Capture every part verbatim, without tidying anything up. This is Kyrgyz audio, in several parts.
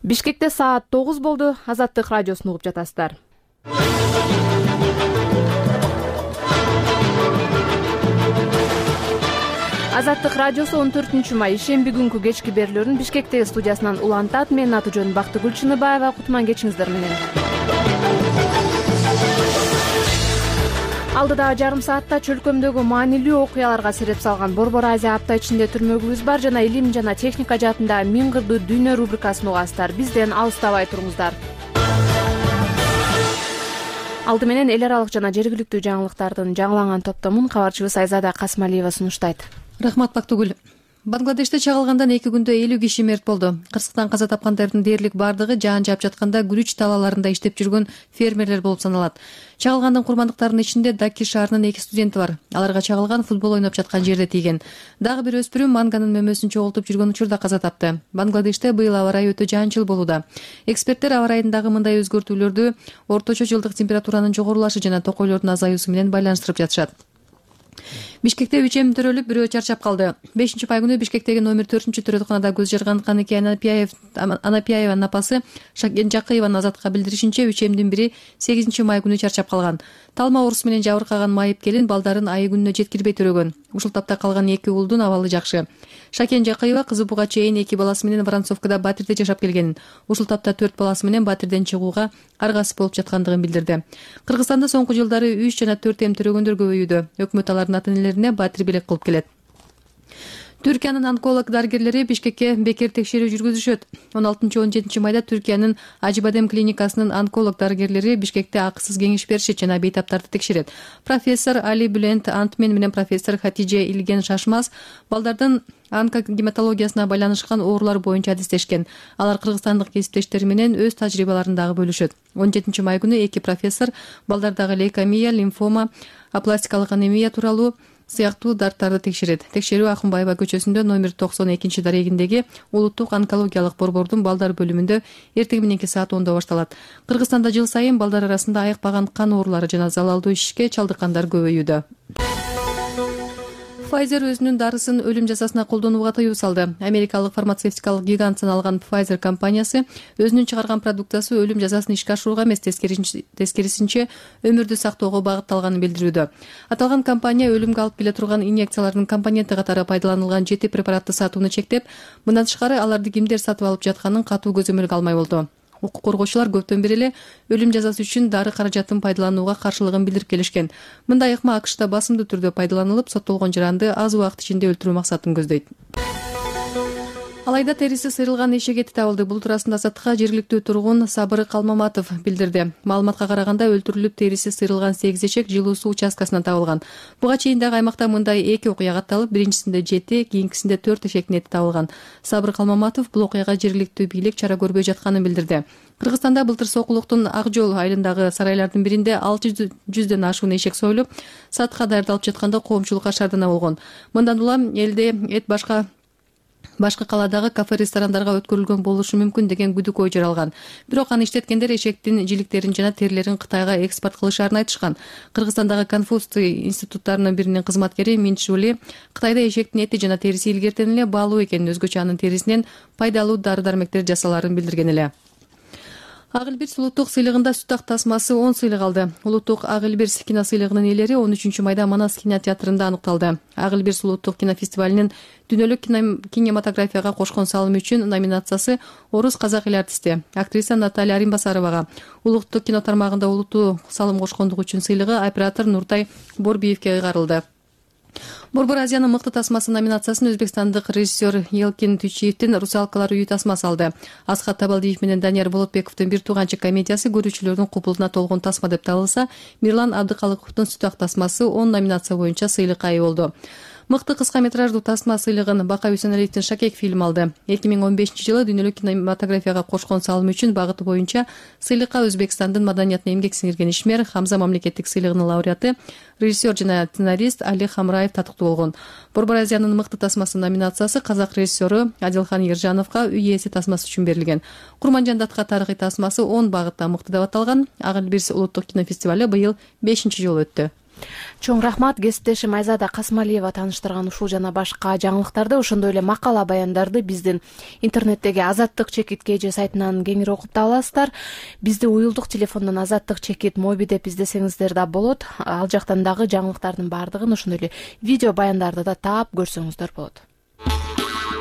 Бишкекте саат тогуз болду. Азаттык радиосун угуп жатасыздар. Азаттык радиосу он төртүнчү май шемби күнкү кечки берүүлөрүн Бишкектеги студиясынан улантат. Менин аты жөнүм Бактыгүл Чыныбаева. Кутман кечиңиздер менен. Алдыдагы жарым саатта чөлкөмдөгү маанилүү окуяларга сереп салган Борбор Азия апта ичинде түрмөгүбүз бар жана илим жана техника жаатында миң кырдуу дүйнө рубрикасын угасыздар. Бизден алыстабай туруңуздар. Алды менен эл аралык жана жергиликтүү жаңылыктардын жаңыланган топтомун кабарчыбыз Айзада Касмалиева сунуштайт. Рахмат Бактыгүл. Бангладеште чагылгандан эки күндө элүү киши мерт болду. Кырсыктан каза тапкандардын дээрлик бардыгы жаан жаап жатканда күрүч талааларында иштеп жүргөн фермерлер болуп саналат. Чагылгандын курмандыктарынын ичинде Даки шаарынын эки студенти бар. Аларга чагылган футбол ойноп жаткан жерде тийген. Дагы бир өспүрүм манганын мөмөсүн чогултуп жүргөн учурда каза тапты. Бангладеште быйыл аба ырайы өтө жаанчыл болууда. Эксперттер аба ырайындагы мындай өзгөртүүлөрдү орточо жылдык температуранын жогорулашы жана токойлордун азаюусу менен байланыштырып жатышат. Бишкекте үч эм төрөлүп, бирөө чарчап калды. бешинчи май күнү Бишкектеги номер төртүнчү төрөтканада көз жарган Каныке Анапияеванын апасы Шакен Жакыеванын Азатка билдиришинче, үч эмдин бири сегизинчи май күнү чарчап калган. Талма оорусу менен жабыркаган майып келин балдарын айы күнүнө жеткирбей төрөгөн. Ушул тапта калган эки уулдун абалы жакшы. Шакен Жакыева кызы буга чейин эки баласы менен Воронцовкада Батирде жашап келген. Ушул тапта төрт баласы менен Батирден чыгууга аргасыз болуп жаткандыгын билдирди. Кыргызстанда соңку жылдары үч жана төрт эм төрөгөндөр көбөйүүдө. Өкмөт алардын ата-энелерине Батир белек кылып келет. Түркиянын онколог дарыгерлери Бишкекке бекер текшерүү жүргүзүшөт. он алтынчы он жетинчи майда Түркиянын Ажибадем клиникасынын онколог дарыгерлери Бишкекте акысыз кеңеш беришет жана бейтаптарды текшерет. Профессор Али Бülent Антмен менен профессор Хатиже Илген Шашмаз балдардын онкогематологиясына байланышкан оорулар боюнча адистешкен. Алар кыргызстандык кесиптештери менен өз тажрыйбаларын дагы бөлүшөт. он жетинчи май күнү эки профессор балдардагы лейкемия, лимфома, апластикалык анемия тууралуу сыяктуу дарттарды текшерет. Текшерүү Акынбаева көчөсүндө номер токсон экинчи дарегиндеги улуттук онкологиялык борбордун балдар бөлүмүндө эртең мененки саат ондо башталат. Кыргызстанда жыл сайын балдар арасында айыкпаган кан оорулары жана залалдуу ишке чалдыккандар көбөйүүдө. Pfizer өзүнүн дарысын өлүм жазасына колдонууга тыюу салды. Америкалык фармацевтикалык гигант саналган Pfizer компаниясы өзүнүн чыгарган продукциясы өлүм жазасын ишке ашырууга эмес, тескерисинче өмүрдү сактоого багытталганын билдирүүдө. Аталган компания өлүмгө алып келе турган инъекциялардын компоненти катары пайдаланылган жети препаратты сатууну чектеп, мындан тышкары аларды кимдер сатып алып жатканын катуу көзөмөлгө алмай болду. Укук коргоочулар көптөн бери эле өлүм жазасы үчүн дары каражатын пайдаланууга каршылыгын билдирип келишкен. Мындай ыкма АКШта басымдуу түрдө пайдаланылып, соттолгон жаранды аз убакыт ичинде өлтүрүү максатын көздөйт. Алайда териси сыйрылган эшек эти табылды. Бул туурасында Азаттыкка жергиликтүү тургун Сабыры Калмаматов билдирди. Маалыматка караганда өлтүрүлүп териси сыйрылган сегиз эшек жылуу суу участкасынан табылган. Буга чейин дагы аймакта мындай эки окуя катталып, биринчисинде жети, кийинкисинде төрт эшектин эти табылган. Сабыр Калмаматов бул окуяга жергиликтүү бийлик чара көрбөй жатканын билдирди. Кыргызстанда былтыр Сокулуктун Ак жол айылындагы сарайлардын биринде алты жүздөн ашуун эшек союлуп, сатыкка даярдалып жатканда коомчулукка шаардана болгон. Мындан улам элде эт башка Башкы каладагы кафе-ресторандарга өткөрүлгөн болушу мүмкүн деген күдүк ой жаралган. Бирок аны иштеткендер эшектин жиликтерин жана терилерин Кытайга экспорт кылышаарын айтышкан. Кыргызстандагы Конфуций институттарынын биринин кызматкери Минчжули Кытайда эшектин эти жана териси илгертен эле баалуу экенин, өзгөчө анын терисинен пайдалуу дары-дармектер жасалаарын билдирген эле. Ак Элбирс улуттук сыйлыгында сүт ак тасмасы он сыйлык алды. Улуттук Ак Элбирс кино сыйлыгынын ээлери он үчүнчү майда Манас кинотеатрында аныкталды. Ак Элбирс улуттук кинофестивалинин дүйнөлүк кинематографияга кошкон салымы үчүн номинациясы орус казак эл артисти актриса Наталья Римбасаровага, улуттук кино тармагында улуттуу салым кошкондугу үчүн сыйлыгы оператор Нуртай Борбиевке ыйгарылды. Борбор Азиянын мыкты тасмасы номинациясын өзбекстандык режиссер Елкин Түйчиевдин Русалкалар үйү тасмасы алды. Асхат Табалдиев менен Данияр Болотбековдун Бир тууганчы комедиясы көрүүчүлөрдүн купулуна толгон тасма деп табылса, Мирлан Абдыкалыковдун Сүт ак тасмасы он номинация боюнча сыйлыкка ээ болду. Мыкты кыска метраждуу тасма сыйлыгын Бака Үсеналиевдин Шакек фильми алды. эки миң он бешинчи жылы дүйнөлүк кинематографияга кошкон салымы үчүн багыты боюнча сыйлыкка Өзбекстандын маданиятына эмгек сиңирген ишмер, Хамза мамлекеттик сыйлыгынын лауреаты, режиссер жана сценарист Али Хамраев татыктуу болгон. Борбор Азиянын мыкты тасмасы номинациясы казак режиссеру Адилхан Ержановго үй ээси тасмасы үчүн берилген. Курманжандатка тарыхый тасмасы он багытта мыкты деп аталган. Ак Элбирс улуттук кинофестивали быйыл бешинчи жолу өттү. Чоң рахмат. Кесиптешим Айзада Касымалиева тааныштырган ушул жана башка жаңылыктарды, ошондой эле макала баяндарды биздин интернеттеги Азаттык чекит кж сайтынан кеңири окуп таба аласыздар. Бизди уюлдук телефондон Азаттык чекит моби деп издесеңиздер да болот. Ал жактан дагы жаңылыктардын баардыгын, ошондой эле видео баяндарды да таап көрсөңүздөр болот.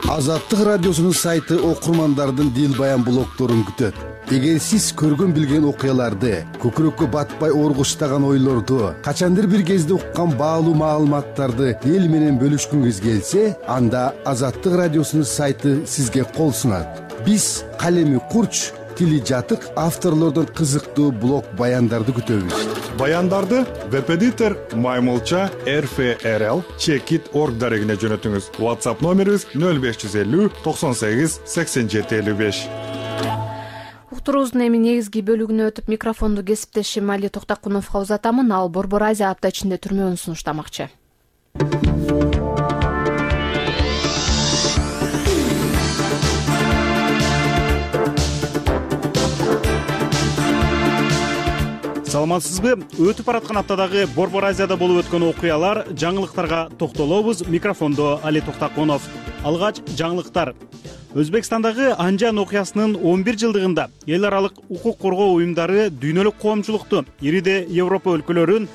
Азаттык радиосунун сайты окурмандардын дил баян блогторун күтөт. Эгер сиз көргөн билген окуяларды, көкүрөккө батпай оргуштаган ойлорду, качандыр бир кезде уккан баалуу маалыматтарды эл менен бөлүшкүңүз келсе, анда Азаттык радиосунун сайты сизге кол сунат. Биз калеми курч, тили жатык авторлордон кызыктуу блог баяндарды күтөбүз. Баяндарды веб-эдитор Маймулча эр эф эр эл чекит точка орг дарегине жөнөтүңүз. WhatsApp номерибиз нөл беш жүз элүү токсон сегиз сексен жети элүү беш. Уктуруубуздун эми негизги бөлүгүнө өтүп, микрофонду кесиптешим Али Токтокуновго узатамын. Ал Борбор Азия апта ичинде түрмөөнү сунуштамакчы. Саламатсызбы? Өтүп бараткан аптадагы Борбор Азияда болуп өткөн окуялар, жаңылыктарга токтолобуз. Микрофондо Али Токтокунов. Алгач жаңылыктар. Өзбекстандагы Анжан окуясынын он бир жылдыгында эл аралык укук коргоо уюмдары дүйнөлүк коомчулукту ириде Европа өлкөлөрүн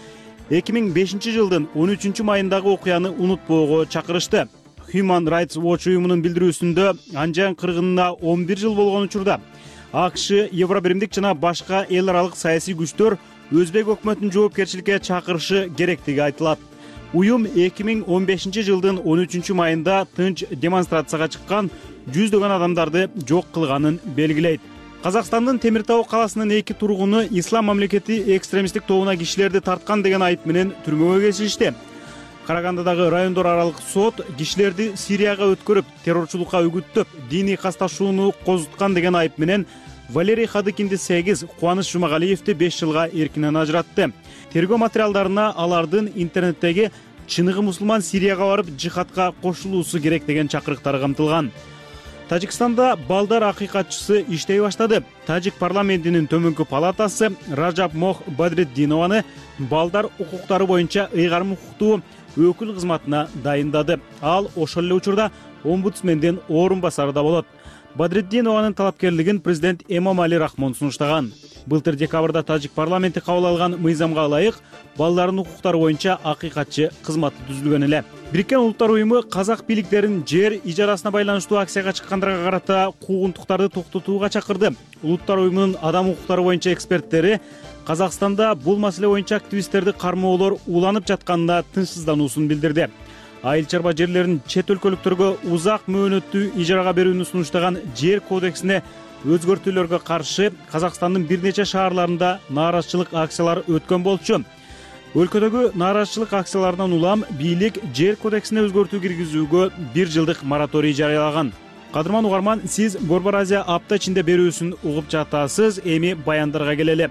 эки миң бешинчи жылдын он үчүнчү майындагы окуяны унутпоого чакырышты. Human Rights Watch уюмунун билдирүүсүндө Анжан кыргынына он бир жыл болгон учурда АКШ, Евробиримдик жана башка эл аралык саясий күчтөр Өзбек өкмөтүнүн жоопкерчиликке чакырышы керектиги айтылат. Уюм эки миң он бешинчи жылдын он үчүнчү майында тынч демонстрацияга чыккан жүздөгөн адамдарды жок кылганын белгилейт. Казакстандын Темир Тау каласынын эки тургуну ислам мамлекети экстремисттик тобуна кишилерди тарткан деген айып менен түрмөгө кесилишти. Карагандадагы райондор аралык сот кишилерди Сирияга өткөрүп, террорчулукка үгүттөп, диний касташууну козуткан деген айып менен Валерий Хадыкинди сегиз, Кубаныч Жумагалиевди беш жылга эркинен ажыратты. Тергөө материалдарына алардын интернеттеги чыныгы мусулман Сирияга барып жихадка кошулуусу керек деген чакырыктары камтылган. Тажикстанда балдар акыйкатчысы иштей баштады. Тажик парламентинин төмөнкү палатасы Ражап Мох Бадреддинованы балдар укуктары боюнча ыйгарым укуктуу өкүл кызматына дайындады. Ал ошол эле учурда омбудсмендин орун басары да болот. Бадреддинованын талапкерлигин президент Эмомали Рахмон сунуштаган. Былтыр декабрда Тажик парламенти кабыл алган мыйзамга ылайык балдардын укуктары боюнча акыйкатчы кызматы түзүлгөн эле. Бириккен Улуттар уюму казак бийликтерин жер ижарасына байланыштуу акцияга чыккандарга карата куугунтуктарды токтотууга чакырды. Улуттар уюмунун адам укуктары боюнча эксперттери Казакстанда бул маселе боюнча активисттерди кармоолор уланып жатканына тынчсыздануусун билдирди. Айыл чарба жерлерин чет өлкөлүктөргө узак мөөнөттүү ижарага берүүнү сунуштаган жер кодексине өзгөртүүлөргө каршы Казакстандын бир нече шаарларында нааразычылык акциялары өткөн болчу. Өлкөдөгү нааразычылык акцияларынан улам бийлик жер кодексине өзгөртүү киргизүүгө бир жылдык мораторий жарыялаган. Кадырман угарман, сиз Борбор Азия апта ичинде берүүсүн угуп жатасыз. Эми баяндарга келели.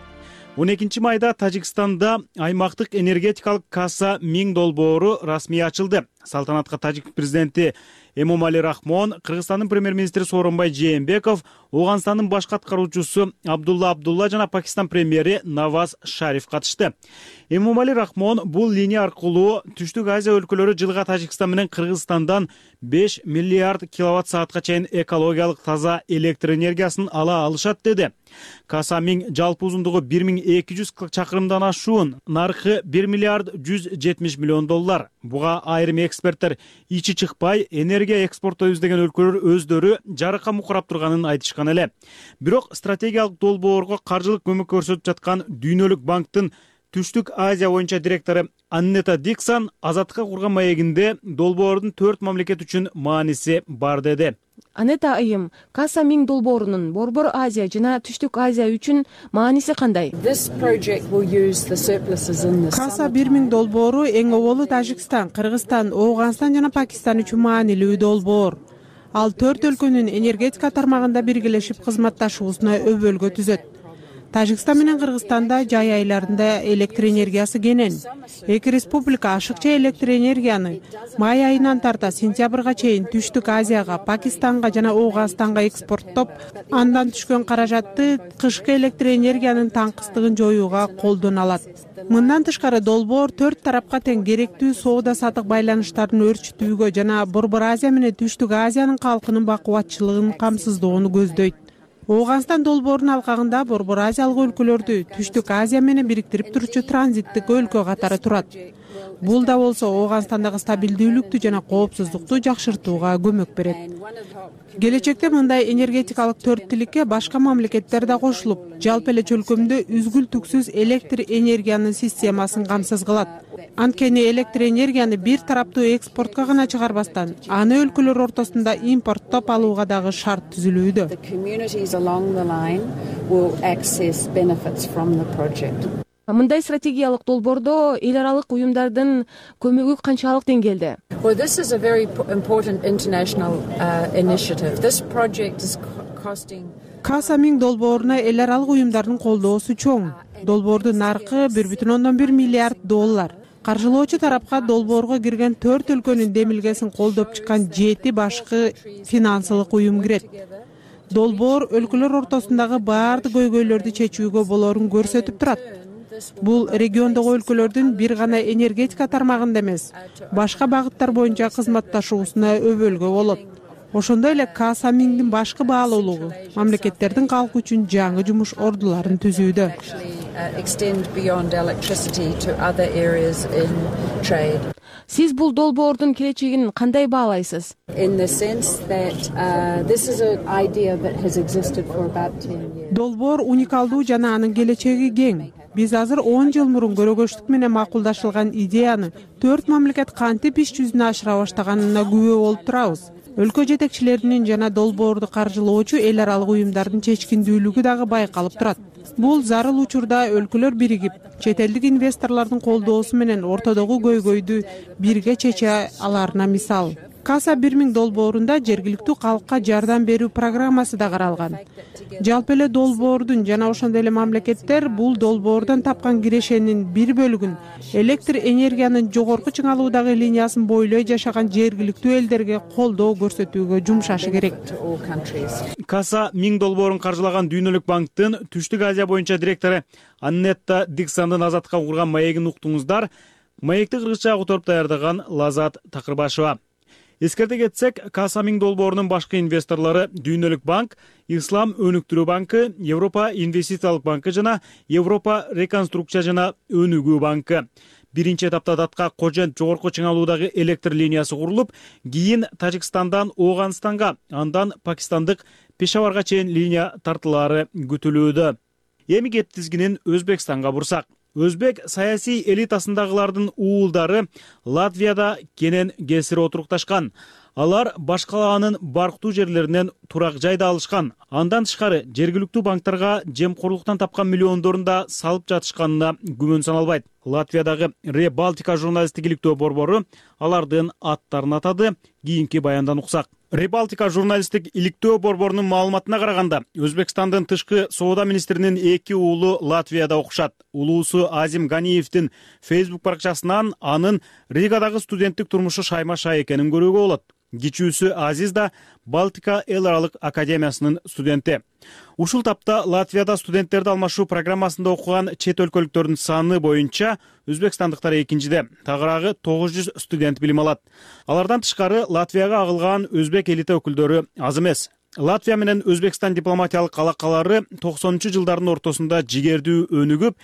он экинчи майда Тажикстанда аймактык энергетикалык касса миң долбоору расмий ачылды. Салтанатка Тажик президенти Эмомали Рахмон, Кыргызстандын премьер-министри Сооронбай Жээнбеков, Ооганстандын баш аткаруучусу Абдулла Абдулла жана Пакистан премьери Наваз Шариф катышты. Эмомали Рахмон бул линия аркылуу Түштүк Азия өлкөлөрү жылга Тажикстан менен Кыргызстандан беш миллиард киловатт саатка чейин экологиялык таза электр энергиясын ала алышат деди. Каса миң жалпы узундугу бир миң эки жүз чакырымдан ашуун, наркы бир миллиард жүз жетимиш миллион доллар. Буга айрым эксперттер ичи чыкпай энергия экспортоо издеген өлкөлөр өздөрү жарыкка мукурап турганын айтышкан эле. Бирок стратегиялык долбоорго каржылык көмөк көрсөтүп жаткан Дүйнөлүк банктын Түштүк Азия боюнча директору Аннета Диксон Азаттыкка курган маегинде долбоордун төрт мамлекет үчүн мааниси бар деди. Анета айым, Каса миң долбоорунун Борбор Азия жана Түштүк Азия үчүн мааниси кандай? Каса бир миң долбоору эң оболу Тажикстан, Кыргызстан, Ооганстан жана Пакистан үчүн маанилүү долбоор. Ал төрт өлкөнүн энергетика тармагында биргелешип кызматташуусуна өбөлгө түзөт. Тажикстан менен Кыргызстанда жай айларында электр энергиясы кенен. Эки республика ашыкча электр энергияны май айынан тарта сентябрга чейин Түштүк Азияга, Пакистанга жана Ооганстанга экспорттоп, андан түшкөн каражатты кышкы электр энергиянын таңкыстыгын жоюуга колдоно алат. Мындан тышкары долбоор төрт тарапка тең керектүү соода-саттык байланыштарын өрчүтүүгө жана Борбор Азия менен Түштүк Азиянын калкынын бакубатчылыгын камсыздоону көздөйт. Ооганстан долбоорунун алкагында Борбор Азиялык өлкөлөрдү Түштүк Азия менен бириктирип турчу транзиттик өлкө катары турат. Бул да болсо Ооганстандагы стабилдүүлүктү жана коопсуздукту жакшыртууга көмөк берет. Келечекте мындай энергетикалык төрттиликке башка мамлекеттер да кошулуп, жалпы эле чөлкөмдө үзгүл-түксүз электр энергиянын системасын камсыз кылат. Анткени электр энергияны бир тараптуу экспортко гана чыгарбастан, аны өлкөлөр ортосунда импорттоп алууга дагы шарт түзүлүүдө. Мындай стратегиялык долбоордо эл аралык уюмдардын көмөгү канчалык деңгээлде? Каса миң долбооруна эл аралык уюмдардын колдоосу чоң. Долбоордун наркы бир бүтүн ондон бир миллиард доллар. Каржылоочу тарапка долбоорго кирген төрт өлкөнүн демилгесин колдоп чыккан жети башкы финансылык уюм кирет. Долбоор өлкөлөр ортосундагы баардык көйгөйлөрдү чечүүгө болоорун көрсөтүп турат. Бул региондогу өлкөлөрдүн бир гана энергетика тармагында эмес, башка багыттар боюнча кызматташуусуна өбөлгө болот. Ошондой эле Каса миңдин башкы баалуулугу мамлекеттердин калкы үчүн жаңы жумуш ордуларын түзүүдө. Сиз бул долбоордун келечегин кандай баалайсыз? Долбоор уникалдуу жана анын келечеги кең. Биз азыр он жыл мурун көрөгөчтүк менен макулдашылган идеяны төрт мамлекет кантип иш жүзүнө ашыра баштаганына күбө болуп турабыз. Өлкө жетекчилеринин жана долбоорду каржылоочу эл аралык уюмдардын чечкиндүүлүгү дагы байкалып турат. Бул зарыл учурда өлкөлөр биригип, чет элдик инвесторлордун колдоосу менен ортодогу көйгөйдү бирге чече аларына мисал. Каса бир миң долбоорунда жергиликтүү калкка жардам берүү программасы да каралган. Жалпы эле долбоордун жана ошондой эле мамлекеттер бул долбоордон тапкан кирешенин бир бөлүгүн электр энергиянын жогорку чыңалуудагы линиясын бойлой жашаган жергиликтүү элдерге колдоо көрсөтүүгө жумшашы керек. Каса миң долбоорун каржылаган Дүйнөлүк банктын Түштүк Азия боюнча директору Аннетта Диксандын Азаттыкка курган маегин уктуңуздар. Маекти кыргызча которуп даярдаган Лазат Такырбашева. Эскерте кетсек, Каса миң долбоорунун башкы инвесторлору Дүйнөлүк банк, Ислам өнүктүрүү банкы, Европа инвестициялык банкы жана Европа реконструкция жана өнүгүү банкы. Биринчи этапта датка Кожент жогорку чыңалуудагы электр линиясы курулуп, кийин Тажикстандан Ооганстанга, андан Пакистандык Пешаварга чейин линия тартылаары күтүлүүдө. Эми кеп тизгинин Өзбекстанга бурсак. Өзбек саясий элитасындагылардын уулдары Латвияда кенен кесири отурукташкан. Алар башкалаанын барктуу жерлеринен турак жайда алышкан. Андан тышкары жергиликтүү банктарга жемкорлуктан тапкан миллиондорун да салып жатышканына күмөн саналбайт. Латвиядагы Ре Балтика журналисттик иликтөө борбору алардын аттарын атады. Кийинки баяндан уксак. Ре Балтика журналисттик иликтөө борборунун маалыматына караганда, Өзбекстандын тышкы соода министринин эки уулу Латвияда окушат. Улуусу Азим Ганиевдин Facebook баракчасынан анын Ригадагы студенттик турмушу шайма-шай экенин көрүүгө болот. Кичүүсү Азиз да Балтика эл аралык академиясынын студенти. Ушул тапта Латвияда студенттерди алмашуу программасында окуган чет өлкөлүктөрдүн саны боюнча өзбекстандыктар экинчиде, тагыраагы тогуз жүз студент билим алат. Алардан тышкары Латвияга агылган өзбек элита өкүлдөрү аз эмес. Латвия менен Өзбекстан дипломатиялык алакалары токсонунчу жылдардын ортосунда жигердүү өнүгүп,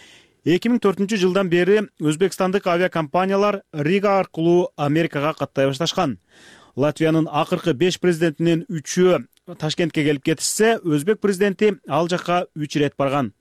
эки миң төртүнчү жылдан бери өзбекстандык авиакомпаниялар Рига аркылуу Америкага каттай башташкан. Латвиянын акыркы беш президентинин үчөө Ташкентке келип кетишсе, өзбек президенти ал жакка үч ирет барган.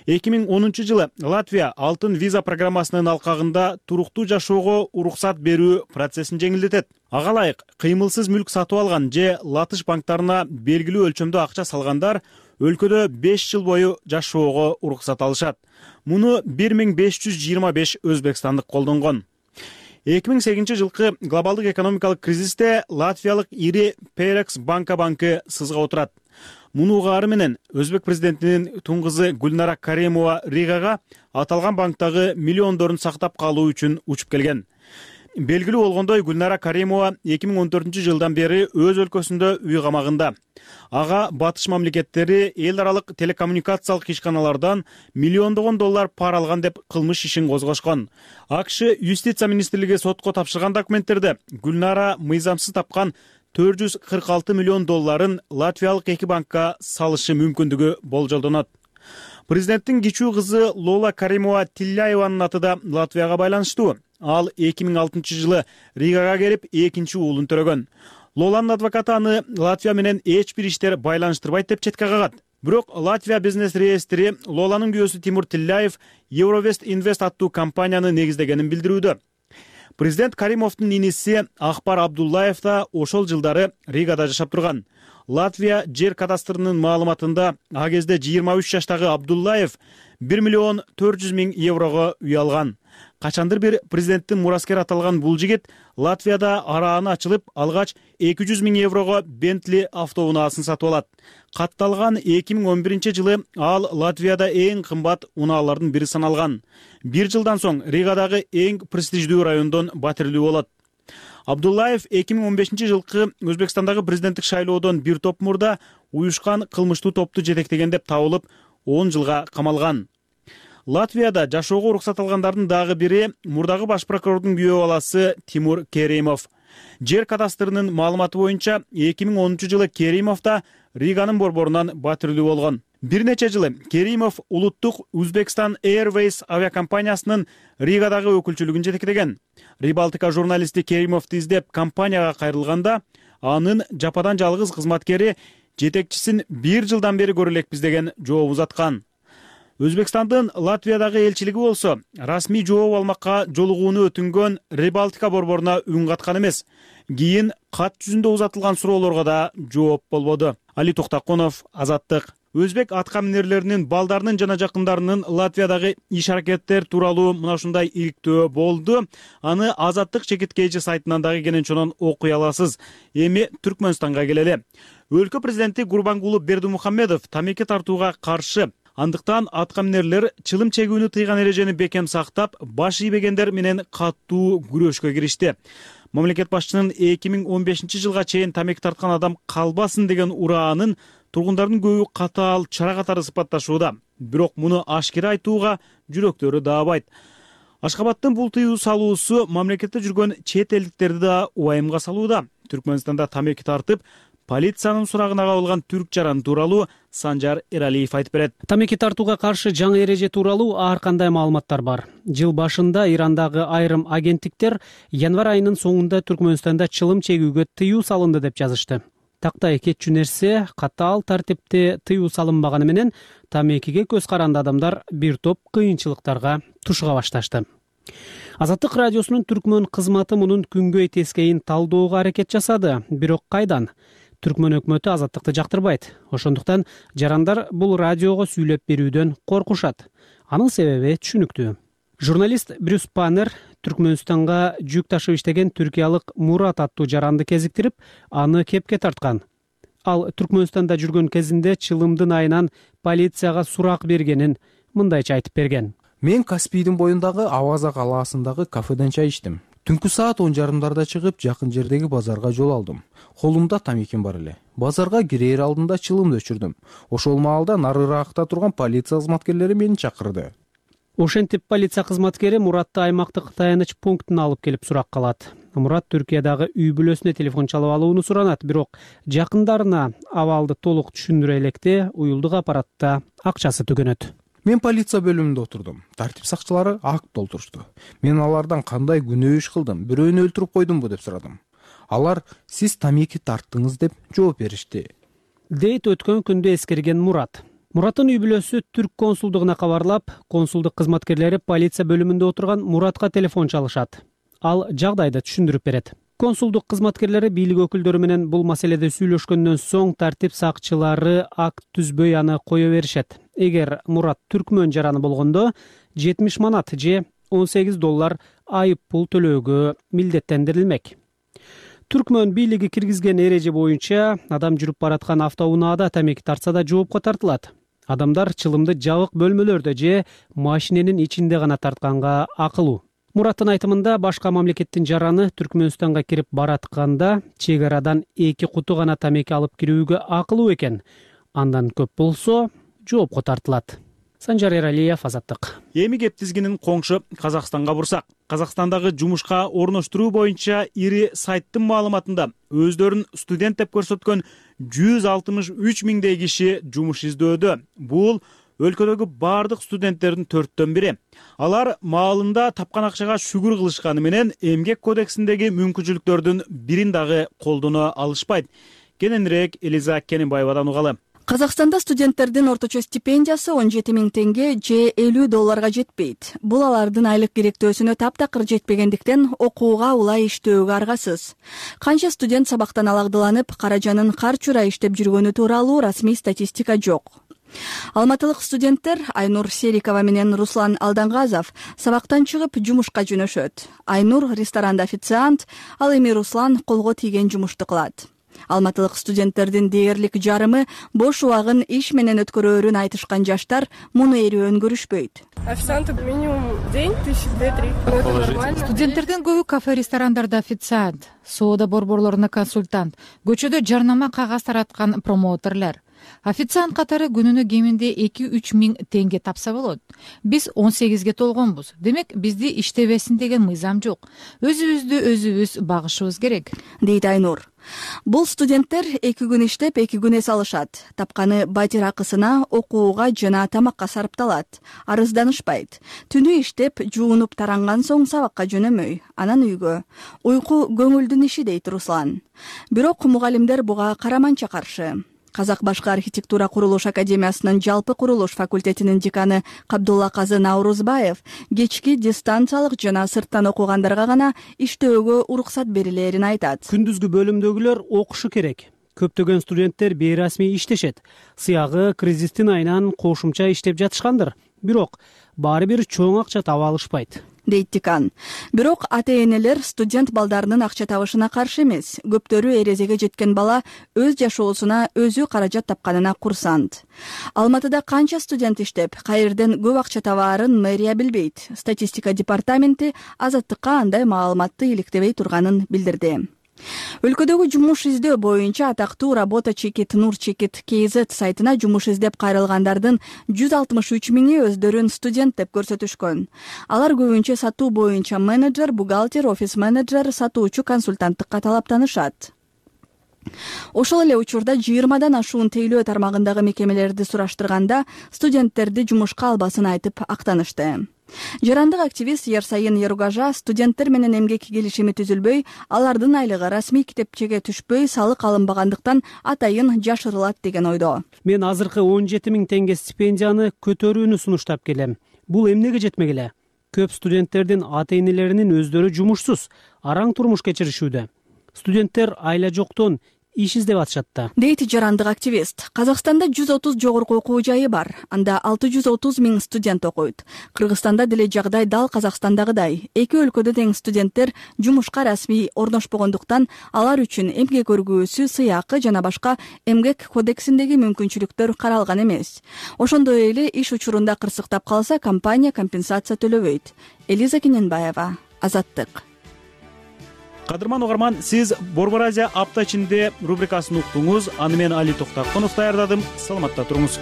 эки миң онунчу жылы Латвия алтын виза программасынын алкагында туруктуу жашоого уруксат берүү процессин жеңилдетет. Ага ылайык кыймылсыз мүлк сатып алган же латыш банктарына белгилүү өлчөмдө акча салгандар өлкөдө беш жыл бою жашоого уруксат алышат. Муну бир миң беш жүз жыйырма беш өзбекстандык колдонгон. эки миң сегизинчи жылкы глобалдык экономикалык кризисте латвиялык ири Перекс банка банкы сызга отурат. Муну угаары менен Өзбек президентинин тун кызы Гүлнара Каримова Ригага аталган банктагы миллиондорун сактап калуу үчүн учуп келген. Белгилүү болгондой, Гүлнара Каримова эки миң он төртүнчү жылдан бери өз өлкөсүндө үй камагында. Ага батыш мамлекеттери эл аралык телекоммуникациялык ишканалардан миллиондогон доллар пара алган деп кылмыш ишин козгошкон. АКШ юстиция министрлиги сотко тапшырган документтерде Гүлнара мыйзамсыз тапкан төрт жүз кырк алты миллион долларын латвиялык эки банкка салышы мүмкүндүгү болжолдонот. Президенттин кичүү кызы Лола Каримова Тилляеванын аты да Латвияга байланыштуу. Ал эки миң алтынчы жылы Ригага келип экинчи уулун төрөгөн. Лоланын адвокаты аны Латвия менен эч бир иштер байланыштырбайт деп четке кагат. Бирок Латвия бизнес реестри Лоланын күйөөсү Тимур Тилляев Eurovest Invest аттуу компанияны негиздегенин билдирүүдө. Президент Каримовдун иниси Акбар Абдуллаев да ошол жылдары Ригада жашап турган. Латвия жер кадастрынын маалыматында а кезде жыйырма үч жаштагы Абдуллаев бир миллион төрт жүз миң еврого үй алган. Качандыр бир президенттин мураскер аталган бул жигит Латвияда арааны ачылып алгач эки жүз миң еврого Бентли автоунаасын сатып алат. Катталган эки миң он биринчи жылы ал Латвияда эң кымбат унаалардын бири саналган. Бир жылдан соң Ригадагы эң престиждүү райондон батирлүү болот. Абдуллаев эки миң он бешинчи жылкы Өзбекстандагы президенттик шайлоодон бир топ мурда уюшкан кылмыштуу топту жетектеген деп табылып, он жылга камалган. Латвияда жашоого уруксат алгандардын дагы бири мурдагы баш прокурордун күйөө баласы Тимур Керимов. Жер кадастрынын маалыматы боюнча эки миң онунчу жылы Керимов да Риганын борборунан батирлүү болгон. Бир нече жылы Керимов улуттук Uzbekistan Airways авиакомпаниясынын Ригадагы өкүлчүлүгүн жетектеген. Рибалтика журналисти Керимовду издеп компанияга кайрылганда, анын жападан жалгыз кызматкери жетекчисин бир жылдан бери көрө элекпиз деген жооп узаткан. Өзбекстандын Латвиядагы элчилиги болсо расмий жооп алмакка жолугууну өтүнгөн Рибалтика борборуна үн каткан эмес. Кийин кат жүзүндө узатылган суроолорго да жооп болбоду. Али Токтаконов, Азаттык. Өзбек аткаминерлеринин балдарынын жана жакындарынын Латвиядагы иш аракеттер тууралуу мына ушундай иликтөө болду. Аны Азаттык чекит кж сайтынан дагы кенен чонон окуй аласыз. Эми Түркмөнстанга келели. Өлкө президенти Гурбангулы Бердимухамедов тамеки тартууга каршы. Андыктан аткаминерлер чылым чегүүнү тыйган эрежени бекем сактап, баш ийбегендер менен каттуу күрөшкө киришти. Мамлекет башчынын эки миң он бешинчи жылга чейин тамеки тарткан адам калбасын деген ураанын тургундардын көбү катаал чара катары сыпатташууда. Бирок муну ашкера айтууга жүрөктөрү даабайт. Ашкабадтын бул тыюу салуусу мамлекетте жүргөн чет элдиктерди да убайымга салууда. Түркмөнстанда тамеки тартып, полициянын сурагына кабылган түрк жаран тууралуу Санжар Эралиев айтып берет. Тамеки тартууга каршы жаңы эреже тууралуу ар кандай маалыматтар бар. Жыл башында Ирандагы айрым агенттиктер январь айынын соңунда Түркмөнстанда чылым чегүүгө тыюу салынды деп жазышты. Тактай кетчү нерсе, катаал тартипте тыюу салынбаганы менен тамекиге көз каранды адамдар бир топ кыйынчылыктарга тушуга башташты. Азаттык радиосунун түркмөн кызматы мунун күнгөй тескейин талдоого аракет жасады. Бирок кайдан? Түркмөн өкмөтү Азаттыкты жактырбайт. Ошондуктан жарандар бул радиого сүйлөп берүүдөн коркушат. Анын себеби түшүнүктүү. Журналист Брюс Паннер Түркмөнстанга жүк ташып иштеген түркиялык Мурат аттуу жаранды кезиктирип, аны кепке тарткан. Ал Түркмөнстанда жүргөн кезинде чылымдын айынан полицияга сурак бергенин мындайча айтып берген. Мен Каспийдин боюндагы Аваза калаасындагы кафеден чай ичтим. Түнкү саат он жарымдарда чыгып, жакын жердеги базарга жол алдым. Колумда тамеким бар эле. Базарга кирээр алдында чылымды өчүрдүм. Ошол маалда нарыраакта турган полиция кызматкерлери мени чакырды. Ошентип полиция кызматкери Муратты аймактык таяныч пунктуна алып келип сурак калат. Мурат Түркиядагы үй бүлөсүнө телефон чалып алууну суранат, бирок жакындарына абалды толук түшүндүрө электе уюлдук аппаратта акчасы түгөнөт. Мен полиция бөлүмүндө отурдум. Тартип сакчылары акт толтурушту. Мен алардан кандай күнөө иш кылдым, бирөөнү өлтүрүп койдумбу деп сурадым. Алар сиз тамеки тарттыңыз деп жооп беришти. Дейт өткөн күндө эскерген Мурат. Мураттын үй бүлөсү түрк консулдугуна кабарлап, консулдук кызматкерлери полиция бөлүмүндө отурган Муратка телефон чалышат. Ал жагдайды түшүндүрүп берет. Консулдук кызматкерлери бийлик өкүлдөрү менен бул маселеде сүйлөшкөндөн соң тартип сакчылары акт түзбөй аны кое беришет. Эгер Мурат түркмөн жараны болгондо жетимиш манат же он сегиз доллар айып пул төлөөгө милдеттендирилмек. Түркмөн бийлиги киргизген эреже боюнча адам жүрүп бараткан автоунаада тамеки тартса да жоопко тартылат. Адамдар чылымды жабык бөлмөлөрдө же машиненин ичинде гана тартканга акылуу. Мураттын айтымында башка мамлекеттин жараны Түркмөнстанга кирип баратканда чек арадан эки куту гана тамеки алып кирүүгө акылуу экен. Андан көп болсо жоопко тартылат. Санжар Эралиев, Азаттык. Эми кеп тизгинин коңшу Казакстанга бурсак. Казакстандагы жумушка орноштуруу боюнча ири сайттын маалыматында өздөрүн студент деп көрсөткөн жүз алтымыш үч миңдей киши жумуш издөөдө. Бул өлкөдөгү бардык студенттердин төрттөн бири. Алар маалында тапкан акчага шүгүр кылышканы менен эмгек кодексиндеги мүмкүнчүлүктөрдүн бирин дагы колдоно алышпайт. Кененирээк Элиза Кененбаевадан угалы. Казакстанда студенттердин орточо стипендиясы он жети миң теңге же элүү долларга жетпейт. Бул алардын айлык керектөөсүнө таптакыр жетпегендиктен окууга улай иштөөгө аргасыз. Канча студент сабактан алагдыланып, каражанын карчура иштеп жүргөнү тууралуу расмий статистика жок. Алматылык студенттер Айнур Серикова менен Руслан Алдангазов сабактан чыгып жумушка жөнөшөт. Айнур ресторанда официант, ал эми Руслан колго тийген жумушту кылат. Алматылык студенттердин дээрлик жарымы бош убагын иш менен өткөрөөрүн айтышкан жаштар муну эрүүөн көрүшпөйт. Официант минимум день тысяча две-три. Студенттердин көбү кафе ресторандарда официант, соода борборлоруна консультант, көчөдө жарнама кагаз тараткан промоутерлер. Официант катары күнүнө кеминде эки-үч миң теңге тапса болот. Биз он сегизге толгонбуз. Демек, бизди иштебесин деген мыйзам жок. Өзүбүздү өзүбүз багышыбыз керек, дейт Айнур. Бул студенттер эки күн иштеп, эки күн эс алышат. Тапканы батир акысына, окууга жана тамакка сарпталат. Арызданышпайт. Түнү иштеп, жуунуп таранган соң сабакка жөнөмөй, анан үйгө. Уйку көңүлдүн иши, дейт Руслан. Бирок мугалимдер буга караманча каршы. Казак башкы архитектура курулуш академиясынын жалпы курулуш факультетинин деканы Кабдулла Казы Наурузбаев кечки дистанциялык жана сырттан окугандарга гана иштөөгө уруксат берилерин айтат. Күндүзгү бөлүмдөгүлөр окушу керек. Көптөгөн студенттер бейрасмий иштешет. Сыягы кризистин айынан кошумча иштеп жатышкандыр. Бирок баары бир чоң акча таба алышпайт, дейт декан. Бирок ата-энелер студент балдарынын акча табышына каршы эмес. Көптөрү эрезеге жеткен бала өз жашоосуна өзү каражат тапканына курсант. Алматыда канча студент иштеп, кайерден көп акча табаарын мэрия билбейт. Статистика департаменти Азаттыкка андай маалыматты иликтебей турганын билдирди. Өлкөдөгү жумуш издөө боюнча атактуу работа чекит Нур чекит kz сайтына жумуш издеп кайрылгандардын жүз алтымыш үч миңи өздөрүн студент деп көрсөтүшкөн. Алар көбүнчө сатуу боюнча менеджер, бухгалтер, офис менеджер, сатуучу консультанттыкка талаптанышат. Ошол эле учурда жыйырмадан ашуун тейлөө тармагындагы мекемелерди сураштырганда студенттерди жумушка албасын айтып актанышты. Жарандык активист Ерсайын Еругажа студенттер менен эмгек келишими түзүлбөй, алардын айлыгы расмий китепчеге түшпөй, салык алынбагандыктан атайын жашырылат деген ойдо. Мен азыркы он жети миң теңге стипендияны көтөрүүнү сунуштап келем. Бул эмнеге жетмегиле? Көп студенттердин ата-энелеринин өздөрү жумушсуз, араң турмуш кечиришүүдө. Студенттер айла жоктон иш издеп атышат да, дейт жарандык активист. Казакстанда жүз отуз жогорку окуу жайы бар. Анда алты жүз отуз миң студент окуйт. Кыргызстанда деле жагдай дал Казакстандагыдай. Эки өлкөдө тең студенттер жумушка расмий орношпогондуктан алар үчүн эмгек өргүүсү, сыйакы жана башка эмгек кодексиндеги мүмкүнчүлүктөр каралган эмес. Ошондой эле иш учурунда кырсыктап калса, компания компенсация төлөбөйт. Элиза Кененбаева, Азаттык. Кадырман угарман, сиз Борбор Азия апта ичинде рубрикасын уктуңуз. Аны мен Али Токтакунов даярдадым. Саламатта туруңуз.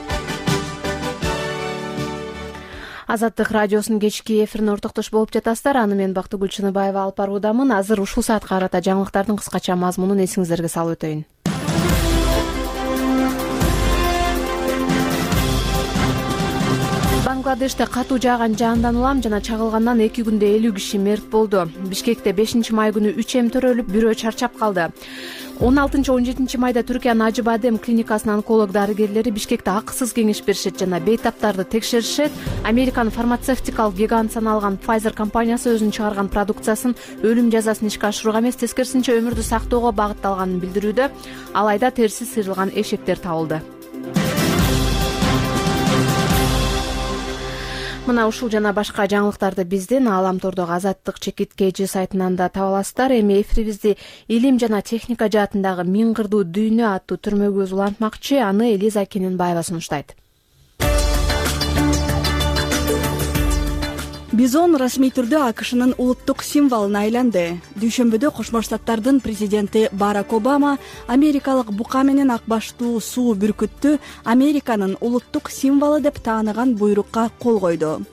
Азаттык радиосунун кечки эфирине ортоктош болуп жатасыздар. Аны мен Бактыгүл Чыныбаева алып баруудамын. Азыр ушул саатка карата жаңылыктардын кыскача мазмунун эсиңиздерге салып өтөйүн. Бангладеште катуу жааган жаандан улам жана чагылгандан эки күндө элүү киши мерт болду. Бишкекте бешинчи май күнү үч эм төрөлүп, бирөө чарчап калды. он алтынчы он жетинчи майда Түркиянын Ажыбадем клиникасынын онколог дарыгерлери Бишкекте акысыз кеңеш беришет жана бейтаптарды текшеришет. Американын фармацевтикалык гигант саналган Pfizer компаниясы өзүнүн чыгарган продукциясын өлүм жазасын ишке ашырууга эмес, тескерисинче өмүрдү сактоого багытталганын билдирүүдө. Алайда терси сыйрылган эшектер табылды. мына ушул жана башка жаңылыктарды биздин ааламтордогу Азаттык чекит kg сайтынан да таба аласыздар. Эми эфирибизди илим жана техника жаатындагы миң кырдуу дүйнө аттуу түрмөгүбүз улантмакчы. Аны Элиза Кененбаева сунуштайт. Бизон расмий түрдө АКШнын улуттук символуна айланды. Дүйшөмбүдө Кошмо Штаттардын президенти Барак Обама америкалык бука менен ак баштуу суу бүркүттү Американын улуттук символу деп тааныган буйрукка кол койду.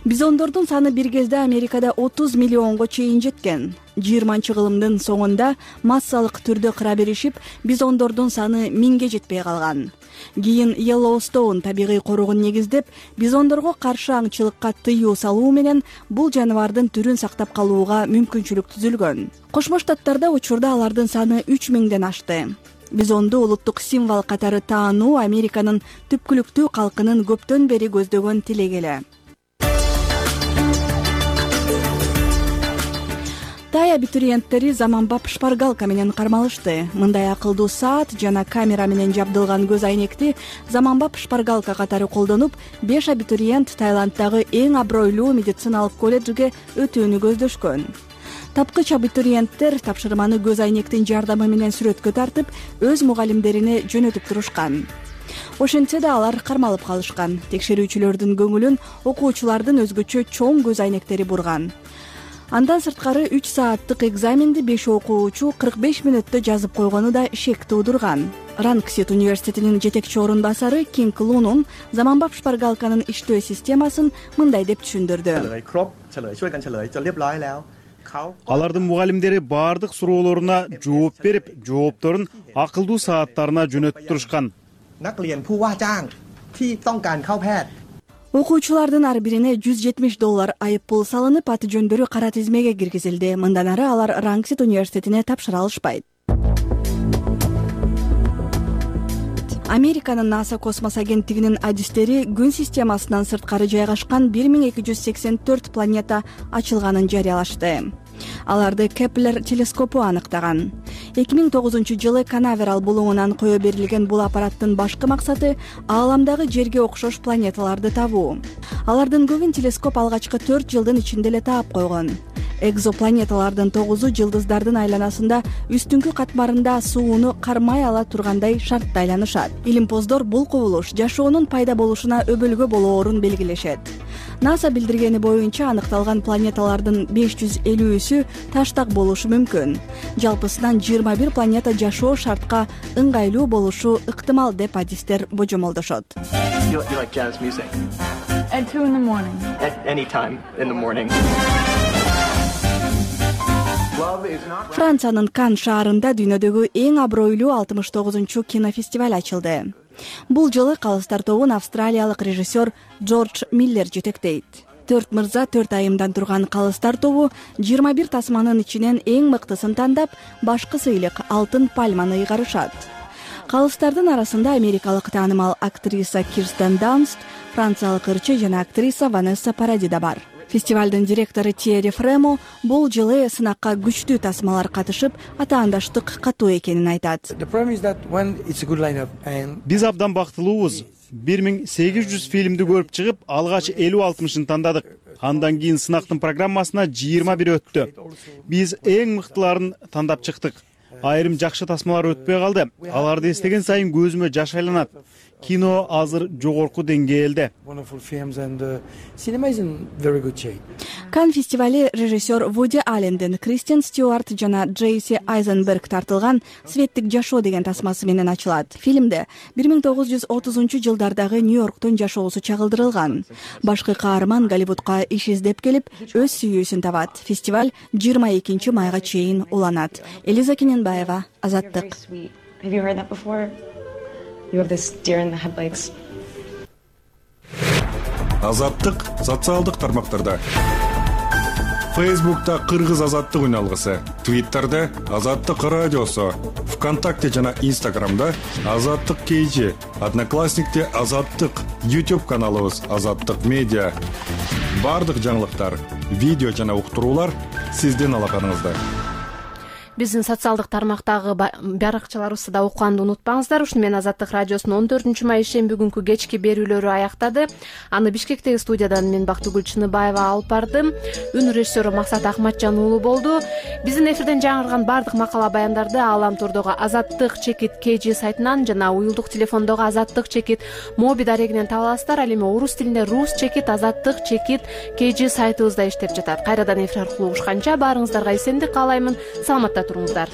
Бизондордун саны бир кезде Америкада отуз миллионго чейин жеткен. жыйырманчы кылымдын соңунда массалык түрдө кыра беришип, бизондордун саны миңге жетпей калган. Кийин Йеллоустоун табигый коруугун негиздеп, бизондорго каршы аңчылыкка тыюу салуу менен бул жаныбардын түрүн сактап калууга мүмкүнчүлүк түзүлгөн. Кошмо Штаттарда учурда алардын саны үч миңден ашты. Бизонду улуттук символ катары таануу Американын түпкүлүктүү калкынын көптөн бери көздөгөн тилеги эле. Тай абитуриенттери заманбап шпаргалка менен кармалышты. Мындай акылдуу саат жана камера менен жабдылган көз айнекти заманбап шпаргалка катары колдонуп, беш абитуриент Таиланддагы эң абройлуу медициналык колледжге өтүүнү көздөшкөн. Тапкыч абитуриенттер тапшырманы көз айнектин жардамы менен сүрөткө тартып, өз мугалимдерине жөнөтүп турушкан. Ошентсе да алар кармалып калышкан. Текшерүүчүлөрдүн көңүлүн окуучулардын өзгөчө чоң көз айнектери бурган. Андан сырткары үч сааттык экзаменди беш окуучу кырк беш мүнөттө жазып койгону да шек туудурган. Рангсет университетинин жетекчи орун басары Кинг Лунун заманбап шпаргалканын иштөө системасын мындай деп түшүндүрдү. Алардын мугалимдери баардык суроолоруна жооп берип, жоопторун акылдуу сааттарына жөнөтүп турушкан. Окуучулардын ар бирине жүз жетимиш доллар айып пул салынып, аты жөндөрү кара тизмеге киргизилди. Мындан ары алар Рангсет университетине тапшыра алышпайт. Американын НАСА космос агенттигинин адистери күн системасынан сырткары жайгашкан бир миң эки жүз сексен төрт планета ачылганын жарыялашты. Аларды Кеплер телескопу аныктаган. эки миң тогузунчу жылы Канаверал булуңунан кое берилген бул аппараттын башкы максаты ааламдагы Жерге окшош планеталарды табуу. Алардын көбүн телескоп алгачкы төрт жылдын ичинде эле таап койгон. Экзопланеталардын тогузу жылдыздардын айланасында үстүңкү катмарында сууну кармай ала тургандай шартта айланышат. Илимпоздор бул кубулуш жашоонун пайда болушуна өбөлгө болоорун белгилешет. НАСА билдиргени боюнча аныкталган планеталардын беш жүз элүүсү таштак болушу мүмкүн. Жалпысынан жыйырма бир планета жашоо шартка ыңгайлуу болушу ыктымал деп адистер божомолдошот. Франциянын Кан шаарында дүйнөдөгү эң абройлуу алтымыш тогузунчу кинофестиваль ачылды. Бул жылы калыстар тобун австралиялык режиссер Джордж Миллер жетектейт. Төрт мырза төрт айымдан турган калыстар тобу жыйырма бир тасманын ичинен эң мыктысын тандап, башкы сыйлык алтын пальманы ыйгарышат. Калыстардын арасында америкалык таанымал актриса Кирстен Данст, франциялык ырчы жана актриса Ванесса Паради да бар. Фестивалдын директору Тьерри Фремо бул жылы сынакка күчтүү тасмалар катышып, атаандаштык катуу экенин айтат. Биз абдан бактылуубуз. бир миң сегиз жүз фильмди көрүп чыгып, алгач элүү алтымышын тандадык. Андан кийин сынактын программасына жыйырма бир өттү. Биз эң мыктыларын тандап чыктык. Айрым жакшы тасмалар өтпөй калды. Аларды эстеген сайын көзүмө жаш айланат. Кино азыр жогорку деңгээлде. Кан фестивали режиссер Вуди Алленден Кристен Стюарт жана Джейси Айзенберг тартылган «Светтик жашоо» деген тасмасы менен ачылат. Фильмде бир миң тогуз жүз отузунчу жылдардагы Нью-Йорктун жашоосу чагылдырылган. Башкы каарман Голливудка иш издеп келип, өз сүйүүсүн табат. Фестиваль жыйырма экинчи майга чейин уланат. Элиза Кененбаева, Азаттык. Азаттык социалдык тармактарда. Фейсбукта Кыргыз азаттык үналгысы, Твиттерде Азаттык радиосу, ВКонтакте жана Инстаграмда Азаттык kg, Одноклассникте Азаттык, YouTube каналыбыз Азаттык медиа. Бардык жаңылыктар, видео жана уктуруулар сиздин алаканыңызда. Биздин социалдык тармактагы баракчаларыбызды да окуганды унутпаңыздар. Ушуну менен Азаттык радиосунун он төртүнчү май ишемби күнкү кечки берүүлөрү аяктады. Аны Бишкектеги студиядан мен Бактыгүл Чыныбаева алып бардым. Үн режиссеру Максат Акматжан уулу болду. Биздин эфирден жаңырган бардык макала баяндарды Ааламтурдогу Азаттык чекит кей жи сайтынан жана уюлдук телефондогу Азаттык чекит моби дарегинен таба аласыздар. Ал эми орус тилинде рус чекит Азаттык чекит кей жи сайтыбызда иштеп жатат. Кайрадан эфир аркылуу угушканча баарыңыздарга эсендик каалаймын. Саламатта туруңуздар.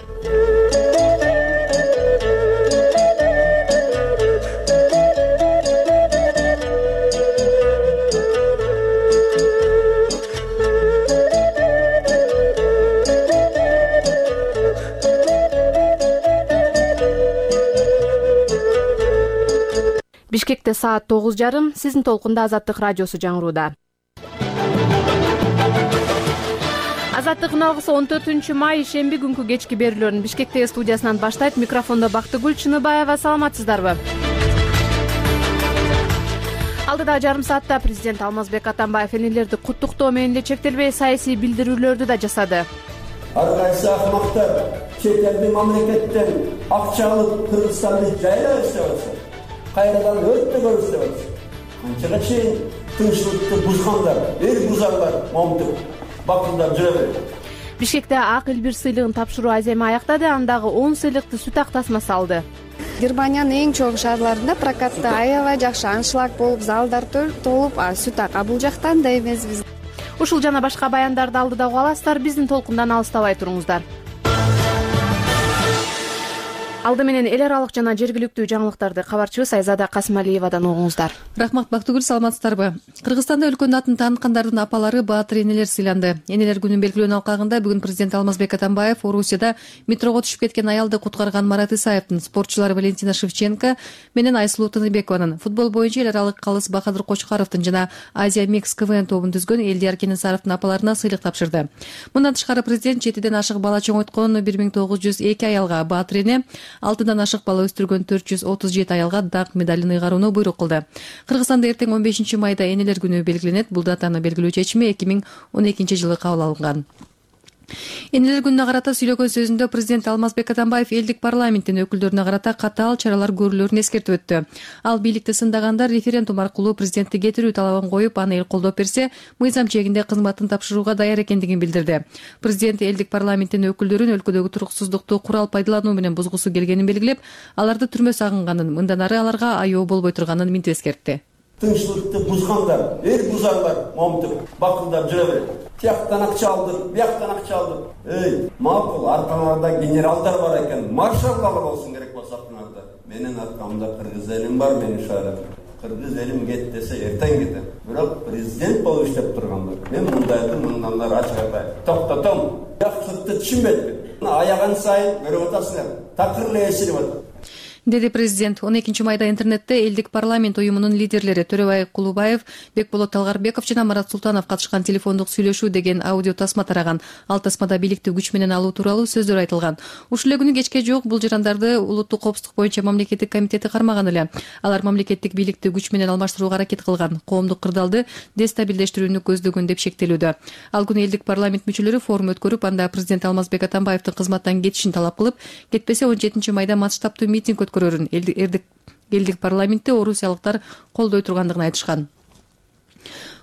Бишкекте саат тогуз жарым. Сиздин толкунда Азаттык радиосу жаңырууда. Азаттыктын алгысы он төртүнчү май ишемби күнкү кечки берүүлөрүн Бишкектеги студиясынан баштайт. Микрофондо Бактыгүл Чыныбаева. Саламатсыздарбы? Алдыда жарым саатта президент Алмазбек Атамбаев энелерди куттуктоо менен эле чектелбей саясий билдирүүлөрдү да жасады. Ар кайсы акмактар чет элдин мамлекеттен акча алып Кыргызстанды жайлап иштеп атышат. Кайрадан өрттө көрүштүп атышат. Канчага чейин тынччылыкты бузгандар, эл бузарлар момтуп бакылдап жүрө берет. Бишкекте ак эл бир сыйлыгын тапшыруу аземи аяктады. Андагы он сыйлыкты сүт ак тасмасы алды. Германиянын эң чоң шаарларында прокатта аябай жакшы аншлаг болуп, залдар толуп, сүт ак. А бул жакта андай эмес биз. Ушул жана башка баяндарды алдыда уга аласыздар. Биздин толкундан алыстабай туруңуздар. Алды менен эл аралык жана жергиликтүү жаңылыктарды кабарчыбыз Айзада Касымалиевадан угуңуздар. Рахмат Бактыгүл, саламатсыздарбы? Кыргызстанда өлкөнүн атын тааныткандардын апалары баатыр энелер сыйланды. Энелер күнүн белгилөөнүн алкагында бүгүн президент Алмазбек Атамбаев Орусияда метрого түшүп кеткен аялды куткарган Марат Исаевдин, спортчулар Валентина Шевченко менен Айсулуу Тыныбекованын, футбол боюнча эл аралык калыс Бахадыр Кочкаровдун жана Азия Микс КВН тобун түзгөн Элдияр Кенесаровдун апаларына сыйлык тапшырды. Мындан тышкары президент жетиден ашык бала чоңойткон бир миң тогуз жүз эки аялга баатыр эне, алтыдан ашык бала өстүргөн төрт жүз отуз жети аялга даңк медалын ыйгарууну буйрук кылды. Кыргызстанда эртең он бешинчи майда энелер күнү белгиленет. Бул датаны белгилөө чечими эки миң он экинчи жылы кабыл алынган. Энелер күнүнө карата сүйлөгөн сөзүндө президент Алмазбек Атамбаев элдик парламенттин өкүлдөрүнө карата катаал чаралар көрүлөрүн эскертип өттү. Ал бийликти сындагандар референдум аркылуу президентти кетирүү талабын коюп, аны эл колдоп берсе, мыйзам чегинде кызматын тапшырууга даяр экендигин билдирди. Президент элдик парламенттин өкүлдөрүн өлкөдөгү туруксуздукту курал пайдалануу менен бузгусу келгенин белгилеп, аларды түрмө сагынганын, мындан ары аларга айоо болбой турганын минтип эскертти. Тынччылыкты бузгандар, эл бузарлар момтуп бакылдап жүрө берет. Тияктан акча алдыр, бияктан акча алдыр. Эй, макул, аркаңарда генералдар бар экен, маршалдар болсун керек болсо артыңарда. Менин аркамда кыргыз элим бар, мени шаарат. Кыргыз элим кет десе эртең кетем. Бирок президент болуп иштеп тургандар. Мен мындайды мындан ары ачык айтайын. Токтотом. Жакшылыкты түшүнбөйт. Аяган сайын көрүп атасыңар. Такыр эле эсилип атат. Деди президент. он экинчи майда интернетте элдик парламент уюмунун лидерлери Төрөбай Кулубаев, Бекболот Талгарбеков жана Марат Султанов катышкан телефондук сүйлөшүү деген аудио тасма тараган. Ал тасмада бийликти күч менен алуу тууралуу сөздөр айтылган. Ушул эле күнү кечке жок бул жарандарды улуттук коопсуздук боюнча мамлекеттик комитети кармаган эле. Алар мамлекеттик бийликти күч менен алмаштырууга аракет кылган, коомдук кырдаалды дестабилдештирүүнү көздөгөн деп шектелүүдө. Ал күнү элдик парламент мүчөлөрү форум өткөрүп, анда президент Алмазбек Атамбаевдин кызматтан кетишин талап кылып, кетпесе он жетинчи майда масштабтуу митинг өткөрөрүн элдик парламентте орусиялыктар колдой тургандыгын айтышкан.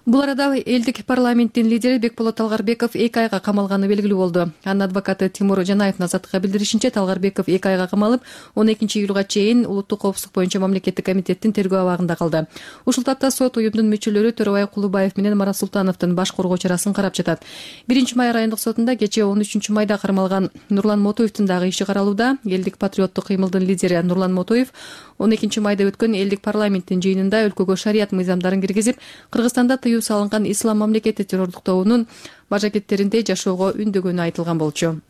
Бул арада элдик парламенттин лидери Бекболот Талгарбеков эки айга камалганы белгилүү болду. Анын адвокаты Тимур Жанаевдин Азаттыкка билдиришинче, Талгарбеков эки айга камалып, он экинчи июлга чейин улуттук коопсуздук боюнча мамлекеттик комитеттин тергөө абагында калды. Ушул тапта сот уюмдун мүчөлөрү Төрөбай Кулубаев менен Марат Султановдун баш коргоо чарасын карап жатат. биринчи май райондук сотунда кечээ он үчүнчү майда кармалган Нурлан Мотоевдин дагы иши каралууда. Элдик патриоттук кыймылдын лидери Нурлан Мотоев он экинчи майда өткөн элдик парламенттин жыйынында өлкөгө шарият мыйзамдарын киргизип, Кыргызстанда тыюу салынган ислам мамлекети террордуктоонун бажакеттеринде жашоого үндөгөнү айтылган болчу.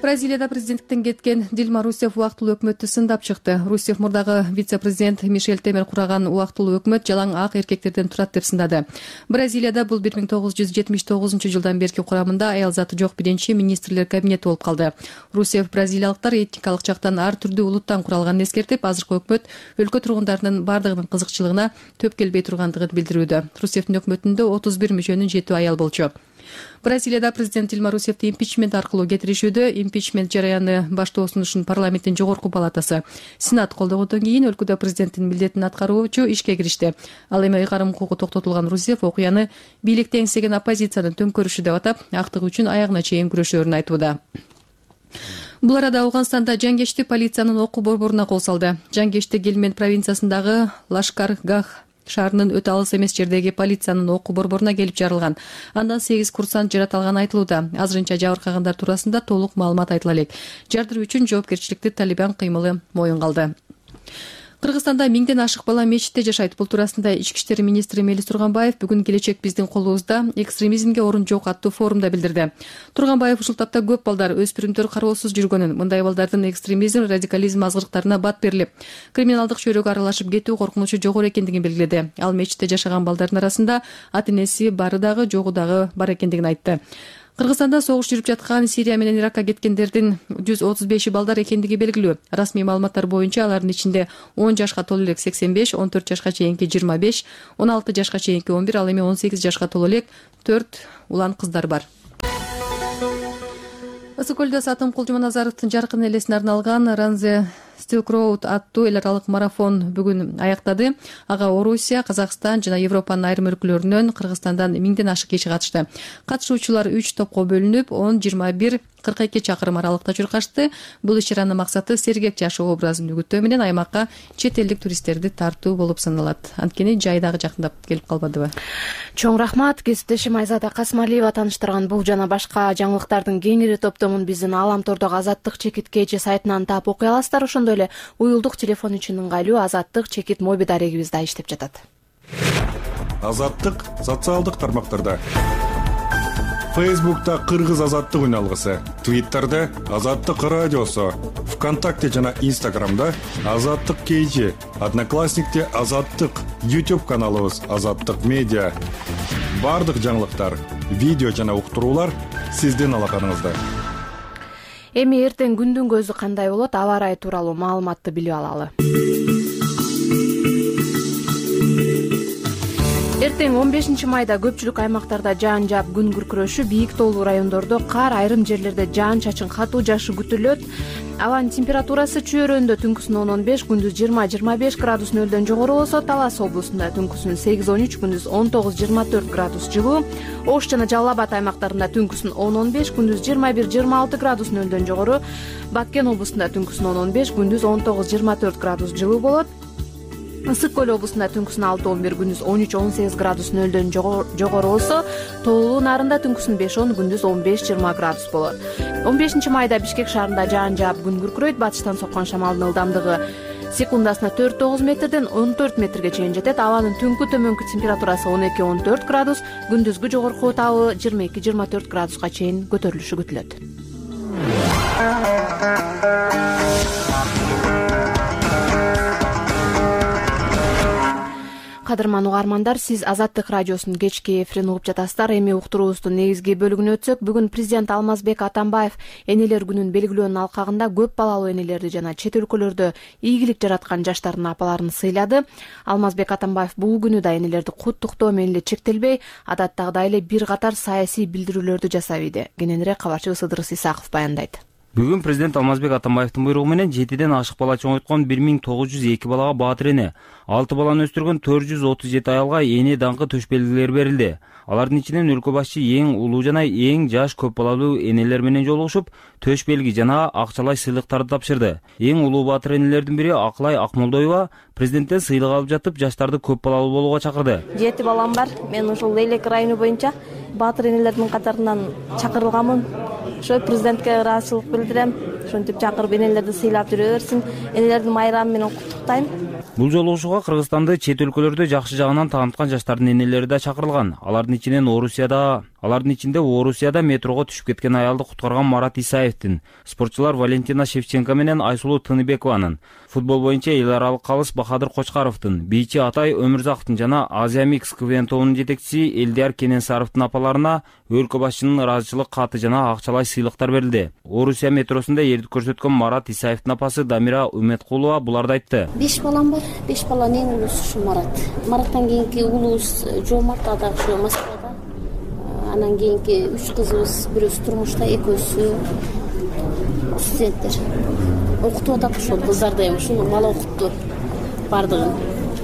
Бразилияда президенттиктен кеткен Дилма Русеф убактылуу өкмөттү сындап чыкты. Русеф мурдагы вице-президент Мишель Темер кураган убактылуу өкмөт жалаң ак эркектерден турат деп сындады. Бразилияда бул бир миң тогуз жүз жетимиш тогузунчу жылдан берки курамында аял заты жок биринчи министрлер кабинети болуп калды. Русеф бразилиялыктар этникалык жактан ар түрдүү улуттан куралганын эскертип, азыркы өкмөт өлкө тургундарынын бардыгынын кызыкчылыгына төп келбей тургандыгын билдирүүдө. Русефтин өкмөтүндө отуз бир мүчөнүн жетөө аял болчу. Бразилияда президент Дилма Русефти импичмент аркылуу кетиришүүдө. Импичмент жараяны баштоосун үчүн парламенттин жогорку палатасы сенат колдогондон кийин өлкөдө президенттин милдетин аткаруучу ишке киришти. Ал эми ыйгарым укугу токтотулган Русеф окуяны бийликти эңсеген оппозициянын төңкөрүшү деп атап, актык үчүн аягына чейин күрөшөөрүн айтууда. Бул арада Ауганстанда жангечти полициянын окуу борборуна кол салды. Жангечти Гельмент провинциясындагы Лашкар-Гах шаарынын өтө алыс эмес жердеги полициянын окуу борборуна келип жарылган. Андан сегиз курсант жаратылганы айтылууда. Азырынча жабыркагандар туурасында толук маалымат айтыла элек. Жардыруу үчүн жоопкерчиликти Талибан кыймылы моюнга алды. Кыргызстанда миңден ашык бала мечитте жашайт. Бул туурасында Ички иштер министри Мелис Турганбаев бүгүн келечек биздин колубузда, экстремизмге орун жок аттуу форумда билдирди. Турганбаев ушул тапта көп балдар, өспүрүмдөр кароосуз жүргөнүн, мындай балдардын экстремизм, радикализм азгырыктарына бат берилип, криминалдык чөйрөгө аралашып кетүү коркунучу жогору экендигин белгиледи. Ал мечитте жашаган балдардын арасында ата-энеси бары дагы, жогу дагы бар экендигин айтты. Кыргызстанда согуш жүрүп жаткан Сирия менен Иракка кеткендердин жүз отуз беши балдар экендиги белгилүү. Расмий маалыматтар боюнча алардын ичинде он жашка толо элек сексен беш, он төрт жашка чейинки жыйырма беш, он алты жашка чейинки он бир, ал эми он сегиз жашка толо элек төрт улан кыздар бар. Ысык көлдө Сатым Кулжуманазаровдун жаркын элесине арналган Ранзе Silk Road аттуу эл аралык марафон бүгүн аяктады. Ага Орусия, Казакстан жана Европанын айрым өлкөлөрүнөн, Кыргызстандан миңден ашык киши катышты. Катышуучулар үч топко бөлүнүп, он, жыйырма бир, кырк эки чакырым аралыкта чуркашты. Бул иш-чаранын максаты сергек жашоо образын үгүттөө менен аймакка чет элдик туристтерди тартуу болуп саналат. Анткени жай дагы жакындап келип калбадыбы? Чоң рахмат. Кесиптешим Айзада Касмалиева тааныштырган бул жана башка жаңылыктардын кеңири топтомун биздин Алам тордогу Азаттык чекит кж сайтынан таап окуй аласыздар. Ошондой эле уюлдук телефон үчүн ыңгайлуу Азаттык чекит моби дарегибиз да иштеп жатат. Азаттык социалдык тармактарда. Фейсбукта Кыргыз Азаттык үналгысы, Твиттерде Азаттык радиосу, ВКонтакте жана Инстаграмда Азаттык кж, Одноклассникте Азаттык, YouTube каналыбыз Азаттык медиа. Бардык жаңылыктар, видео жана уктуруулар сиздин алаканыңызда. Эми эртең күндүн көзү кандай болот? Аба ырайы тууралуу маалыматты билип алалы. Эртең он бешинчи майда көпчүлүк аймактарда жаан жаап күн күркүрөшү, бийик тоолуу райондордо кар, айрым жерлерде жаан чачын катуу жаашы күтүлөт. Абанын температурасы чөйрөндө түнкүсүн он он беш, күндүз жыйырма жыйырма беш градус нөлдөн жогору болсо, Талас облусунда түнкүсүн сегиз он үч, күндүз он тогуз жыйырма төрт градус жылуу. Ош жана Жалал Абад аймактарында түнкүсүн он он беш, күндүз жыйырма бир жыйырма алты градус нөлдөн жогору. Баткен облусунда түнкүсүн он он беш, күндүз он тогуз жыйырма төрт градус жылуу болот. Ысык көл облусунда түнкүсүн алты он бир, күндүз он үч он сегиз градус нөлдөн жогору болсо, Тоолуу Нарында түнкүсүн беш он, күндүз он беш жыйырма градус болот. он бешинчи майда Бишкек шаарында жаан жаап күн күркүрөйт. Батыштан соккон шамалдын ылдамдыгы секундасына төрт тогуз метрден он төрт метрге чейин жетет. Абанын түнкү төмөнкү температурасы он эки он төрт градус, күндүзгү жогорку табы жыйырма эки жыйырма төрт градуска чейин көтөрүлүшү күтүлөт. Кадырман угармандар, сиз Азаттык радиосунун кечки эфирин угуп жатасыздар. Эми уктуруубуздун негизги бөлүгүнө өтсөк, бүгүн президент Алмазбек Атамбаев энелер күнүн белгилөөнүн алкагында көп балалуу энелерди жана чет өлкөлөрдө ийгилик жараткан жаштардын апаларын сыйлады. Алмазбек Атамбаев бул күнү да энелерди куттуктоо менен эле чектелбей, адаттагыдай эле бир катар саясий билдирүүлөрдү жасап иди. Кененирээк кабарчыбыз Ыдырыс Исаков баяндайт. Бүгүн президент Алмазбек Атамбаевдин буйругу менен жетиден ашык бала чоңойткон бир миң тогуз жүз эки балага баатыр эне, алты баланы өстүргөн төрт жүз отуз жети аялга эне даңкы төш белгилери берилди. Алардын ичинен өлкө башчы эң улуу жана эң жаш көп балалуу энелер менен жолугушуп, төш белги жана акчалай сыйлыктарды тапшырды. Эң улуу баатыр энелердин бири Акылай Акмолдоева президенттен сыйлык алып жатып, жаштарды көп балалуу болууга чакырды. Жети балам бар. Мен ушул Лейлек району боюнча баатыр энелердин катарынан чакырылганмын. Ошо президентке ыраазычылык билдирем. Ошентип чакырып энелерди сыйлап жүрө берсин. Энелердин майрамы менен куттуктайм. Бул жолугушууга Кыргызстанды чет өлкөлөрдө жакшы жагынан тааныткан жаштардын энелери да чакырылган. Алардын ичинен Орусияда, алардын ичинде Орусияда метрого түшүп кеткен аялды куткарган Марат Исаевдин, спортчулар Валентина Шевченко менен Айсулуу Тыныбекованын, футбол боюнча эл аралык калыс Бахадыр Кочкаровдун, бийчи Атай Өмүрзаковдун жана Азия Микс КВН тобунун жетекчиси Элдияр Кененсаровдун апаларына өлкө башчынын ыраазычылык каты жана акчалай сыйлыктар берилди. Орусия метросунда эрдик көрсөткөн Марат Исаевдин апасы Дамира Үмөткулова буларды айтты. беш балам бар. беш баланын эң улуусу ушу Марат. Мараттан кийинки улуубуз Жомарт, ада ушу Москвада. анан кийинки үч кызыбыз, бирөөсү турмушта, экөөсү студенттер. Окутуп атат ошол кыздарды, эми ушул бала окутту бардыгын.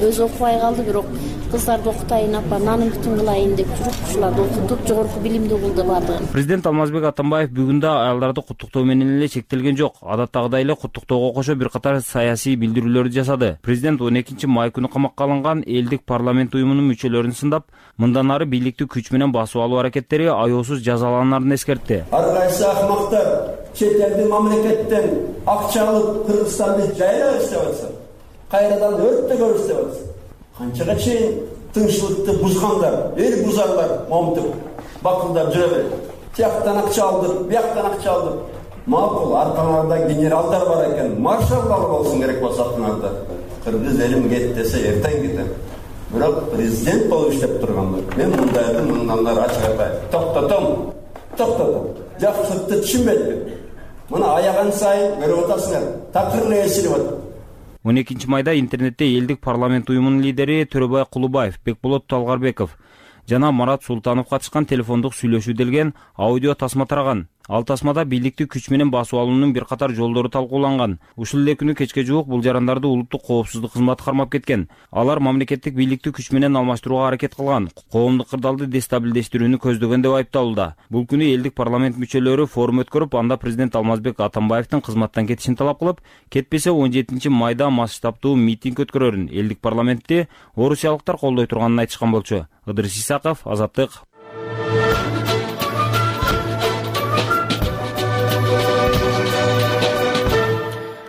Өзү окубай калды, бирок кыздарды окутайын, апа, нанын бүтүн кылайын деп жүрүп, ушуларды окутуп, жогорку билимдүү кылды бардыгын. Президент Алмазбек Атамбаев бүгүн да аялдарды куттуктоо менен эле чектелген жок. Адаттагыдай эле куттуктоого кошо бир катар саясий билдирүүлөрдү жасады. Президент он экинчи май күнү камакка алынган элдик парламент уюмунун мүчөлөрүн сындап, мындан ары бийликти күч менен басып алуу аракеттери аяосуз жазаланарын эскертти. Ар кайсы акмактар чет элдин мамлекеттен акча алып Кыргызстанды жайлап иштеп атса, кайрадан өрттөгөр иштеп атса, канчага чейин тынччылыкты бузгандар, эл бузарлар момтуп, бакылдап жүрө берет. Тияктан акча алдык, бияктан акча алдык. Макул, аркаңарда генералдар бар экен, маршалдар болсун керек болсо артыңарда. Кыргыз элим кет десе эртең кетет. Бирок президент болуп иштеп тургандар. Мен мындайды мындан ары ачык айтайын. Токтотом, токтотом. Жакшылыкты түшүнбөйт. Мына аяган сайын көрүп атасыңар. Такыр эле эсилип атат. он экинчи майда интернетте элдик парламент уюмунун лидери Төрөбай Кулубаев, Бекболот Талгарбеков жана Марат Султанов катышкан телефондук сүйлөшүү делген аудио тасма тараган. Ал тасмада бийликти күч менен басып алуунун бир катар жолдору талкууланган. Ушул эле күнү кечке жуук бул жарандарды улуттук коопсуздук кызматы кармап кеткен. Алар мамлекеттик бийликти күч менен алмаштырууга аракет кылган, коомдук кырдаалды дестабилдештирүүнү көздөгөн деп айыпталууда. Бул күнү элдик парламент мүчөлөрү форум өткөрүп, анда президент Алмазбек Атамбаевдин кызматтан кетишин талап кылып, кетпесе он жетинчи майда масштабтуу митинг өткөрөрүн элдик парламентти орусиялыктар колдой турганын айтышкан болчу. Ыдырыс Исаков, Азаттык.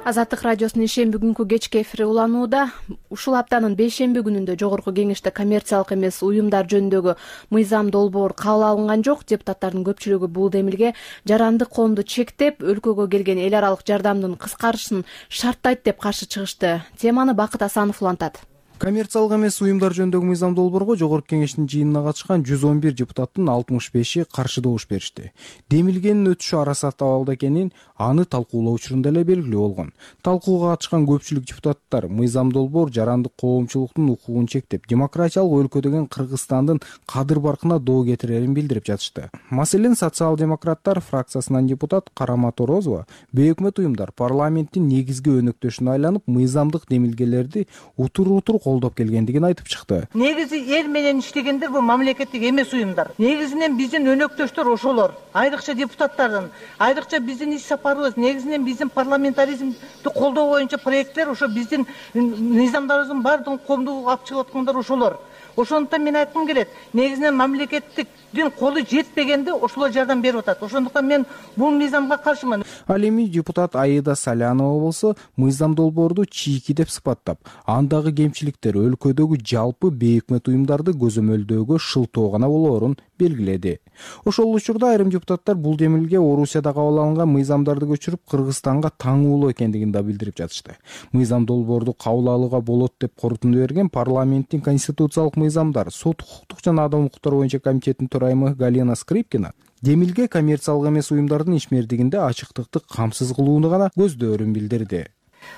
Азаттык радиосунун ишемби күнкү кечки эфири уланууда. Ушул аптанын бейшемби күнүндө жогорку кеңеште коммерциялык эмес уюмдар жөнүндөгү мыйзам долбоор кабыл алынган жок. Депутаттардын көпчүлүгү бул демилге жарандык коомду чектеп, өлкөгө келген эл аралык жардамдын кыскарышын шарттайт деп каршы чыгышты. Теманы Бакыт Асанов улантат. Коммерциялык эмес уюмдар жөнүндөгү мыйзам долбоорго жогорку кеңештин жыйынына катышкан жүз он бир депутаттын алтымыш беши каршы добуш беришти. Демилгенин өтүшү арасат абалда экенин аны талкуулоо учурунда эле белгилүү болгон. Талкууга катышкан көпчүлүк депутаттар мыйзам долбоор жарандык коомчулуктун укугун чектеп, демократиялык өлкө деген Кыргызстандын кадыр баркына доо кетирерин билдирип жатышты. Маселен, социал-демократтар фракциясынан депутат Карама Торозова бейөкмөт уюмдар парламенттин негизги өнөктөшүнө айланып, мыйзамдык демилгелерди утур-утур колдоп келгендигин айтып чыкты. Негизи эл менен иштегендер бул мамлекеттик эмес уюмдар. Негизинен биздин өнөктөштөр ошолор, айрыкча депутаттардын, айрыкча биздин иш сапарыбыз, негизинен биздин парламентаризмди колдоо боюнча проекттер ошо биздин мыйзамдарыбыздын баардыгын коомдук алып чыгып аткандар ошолор. Ошондуктан мен айткым келет, негизинен мамлекеттиктин колу жетпегенде ошолор жардам берип атат. Ошондуктан мен бул мыйзамга каршымын. Ал эми депутат Аида Салянова болсо мыйзам долбоорду чийки деп сыпаттап, андагы кемчиликтер өлкөдөгү жалпы бейөкмөт уюмдарды көзөмөлдөөгө шылтоо гана болоорун белгиледи. Ошол учурда айрым депутаттар бул демилге Орусияда кабыл алынган мыйзамдарды көчүрүп Кыргызстанга таңуулоо экендигин да билдирип жатышты. Мыйзам долбоорду кабыл алууга болот деп корутунду берген парламенттин конституциялык мыйзамдар, сот укуктук жана адам укуктары боюнча комитетинин төрайымы Галина Скрипкина демилге коммерциялык эмес уюмдардын ишмердигинде ачыктыкты камсыз кылууну гана көздөөрүн билдирди.